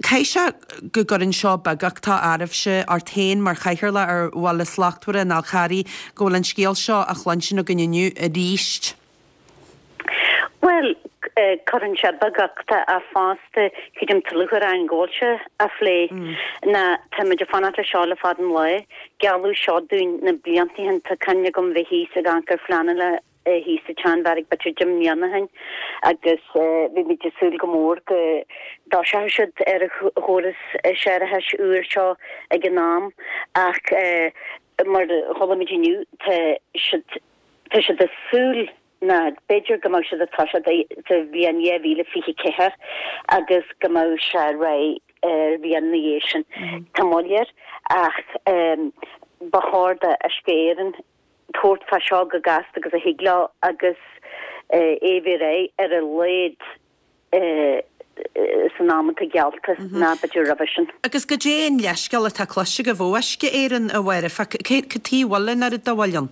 Caithfidh sé go gcuireann seo beaguchtach oraibhse, ort féin mar chathaoirleach ar Bhaile Slachtmhara an Fháil Charraigh, go bhfuil an scéal seo á chluinstin againn inniu arís. Bhuel, cuireann sé beaguchtach ach fosta, creidim tá lúcháir orainn go bhfuil sé á phlé. Ná tá muid ag fanacht le seo le fada an lá. Gealladh seo dúinn na blianta ó shin, tá cuimhne agam bheith thíos ag amharc ar phleananna thíos sa tSeanbheairic b'fhéidir deich mbliana ó shin agus bhí muid ag súil go mór go dtoiseochadh siad ar an chóras séarachais úr seo ag an am ach mar a chuala muid inniu tá siad Tá siad ag súil ná b'fhéidir go mbeadh siad ag toiseacht sa bhliain 2024 agus go mbeadh sé réidh ar bhliain ina dhiaidh sin. Tá moill air ach. ba chóir d'Uisce Éireann tabhairt fá seo go gasta agus a thig leo agus é a bheith réidh ar a laghad san am atá geallta ná b'fhéidir roimhe sin. Agus goidé an leithscéal atá cloiste agaibh ó Uisce Éireann, a Mháire? Fá cad chuige a bhfuil an oiread de mhoill ann?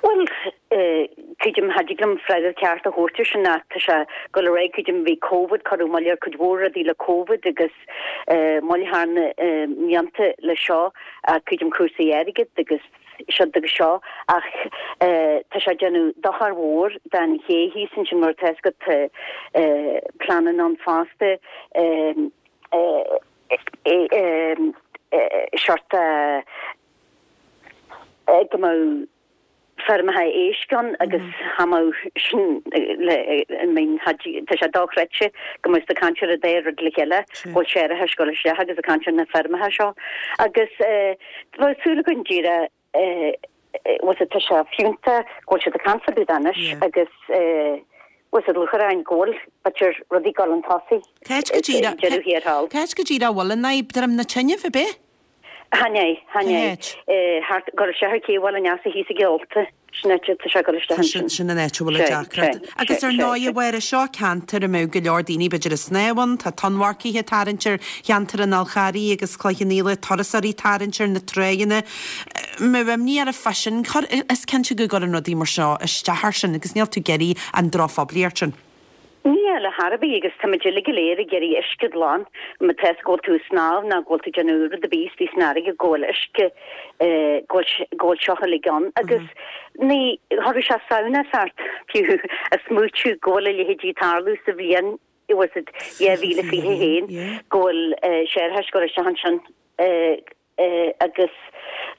Bhuel, creidim, cha dtig liom freagra ceart a thabhairt ar sin ach tá sé ag dul ar aghaidh, creidim, bhí Covid, cuireadh moill ar cuid mhór rudaí le Covid agus moill thar na mblianta le seo ach creidim cúrsaí airgid agus siúd agus seo ach tá sé ag déanamh dochar mhór don ché thíos ansin mar tá fhios agat tá pleananna ann fosta seort go mbeadh feirmeacha éisc ann agus cha mbeadh sin le I mean tá sé dochreidte go mbeadh ag caint ar an dá rud le chéile go bhfuil séarachas ag dul isteach agus ag caint ar na feirmeacha seo agus bheadh súil againn díreach bhfuil tá sé fiúntach go bhfuil siad ag caint fá dtaobh de anois agus bhfuil siad lúcháir orainn go bhfuil b'fhéidir rudaí ag dul chun tosaigh Cá háit go díreach deireadh thiar thall. Cá háit go díreach a bhfuil an fhadhb, Droim na Tine, ab é? Chan é, chan é. Thart, ag dul isteach ar Cé Bhaile an Easa thíos ag Eolta. Sin áit, tá sé ag dul isteach ansin. Sin an áit a bhfuil an deacracht. Agus ar ndóigh, a Mháire, seo ceantar a mbeadh go leor daoine b'fhéidir ag snámh ann, tá tonnmharcaithe ag tarraingt ar cheantar an Fhál Charraigh agus Cloich Cheann Fhaola, turasóirí ag tarraingt ar na tráigheanna. Mbeadh imní oraibh fá sin? Is cinnte go gcuireann rudaí mar seo isteach air sin agus níl tú ag iarraidh an drochphoiblíocht sin. Níl, ar chor ar bith, agus táimid uilig go léir ag iarraidh uisce glan, má tá go bhfuil tú ag snámh nó go bhfuil tú ag déanamh rud ar bith istigh san fharraige go bhfuil uisce, go bhfuil, go bhfuil seo uilig ann agus ní, chuirfeadh sé samhnas ort fiú a smaoitiú go bhfuil a leithéidí ag tarlú sa bhliain, was it, 2021, go bhfuil séarachas ag dul isteach ansin. agus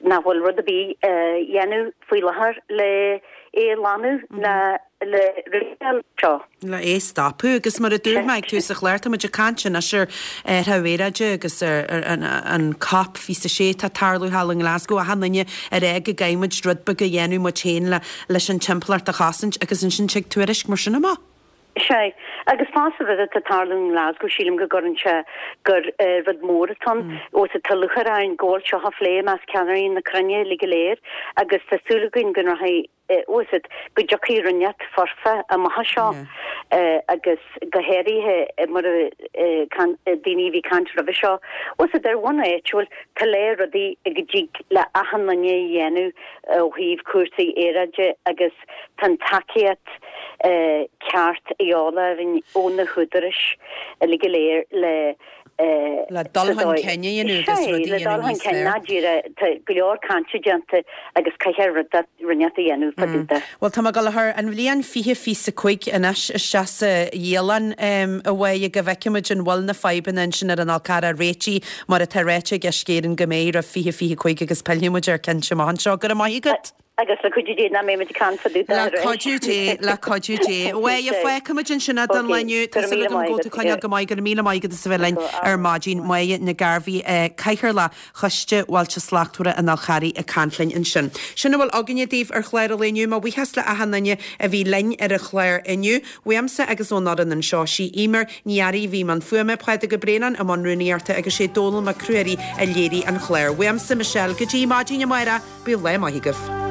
nach bhfuil rud ar bith á dhéanamh faoi láthair le é a ghlanadh ná le réiteach seo. le é a stopadh. Agus mar a dúirt mé ag tús an chláir, tá muid ag caint anois ar athrú aeráide agus ar an Cop 26 atá ag tarlú thall i nGlasgow, achan duine ag rá go gcaithfidh muid rud beag a dhéanamh muid féin leis an timpeallacht a chosaint agus ansin tig tuairisc mar sin amach. Sea, agus fosta rud atá ag tarlú i nGlasgow, sílim go gcuireann sé gur rud mór atá ann, ós tá lúcháir orainn go bhfuil seo á phlé i measc ceannairí na cruinne uilig go léir agus tá súil againn go rachaidh, bhfuil fhios agat, go dtiocfaidh rud inteacht foirfe amach as seo agus go háirithe mar a daoine a bhí ag caint roimhe seo, bhfuil fhios agat, ar bhonn áitiúil, tá lear rudaí go dtig le achan duine a dhéanamh ó thaobh cúrsaí aeráide agus Tá an tacaíocht ceart a dhíobháil orainn ó na húdaráis uilig go léir le Le dul chun cinn a dhéanamh agus rudaí a dhéanamh níos fearr. Ná díreach, tá go leor cainte déanta agus caithfear rud inteacht a dhéanamh fá dtaobh de. Bhuel, tá mé ag dul a chur an bhliain 2025 anois isteach sa dhialann, a Mháire, go bhfeicfidh muid an bhfuil na fadhbanna ansin ar an Fhál Carrach réitithe mar atá ráite ag Uisce Éireann go mbeidh roimh 2025 agus pillfidh muid air cinnte amach anseo. Go raibh maith agat. Agus le cuidiú Dé nach mbeidh muid ag caint fá dtaobh de Le cuidiú Dé, le cuidiú Dé. Bhuel, fágfaimid ansin é don lá inniu. Tá súil agam go bhfuil tú ag coinneáil go maith. Go raibh míle maith agat as a bheith linn ar maidin. Máire Nic Gairbheith, Cathaoirleach Choiste Bhailte Slachtmhara an Fháil Charraigh ag caint linn ansin. Sin a bhfuil againne daoibh ar chlár an lae inniu. Mo bhuíochas le achan duine a bhí linn ar an chlár inniu. Uaimse agus ón fhoireann anseo, sí Eimear Ní Fhearraigh a bhí i mbun fuaime, Pádraig Ó Braonáin i mbun rúnaíochta agus sé Dónall Mac Ruairí a léirigh an clár. Uaimse, Michelle, go dtí maidin amárach. Bíodh lá maith agaibh.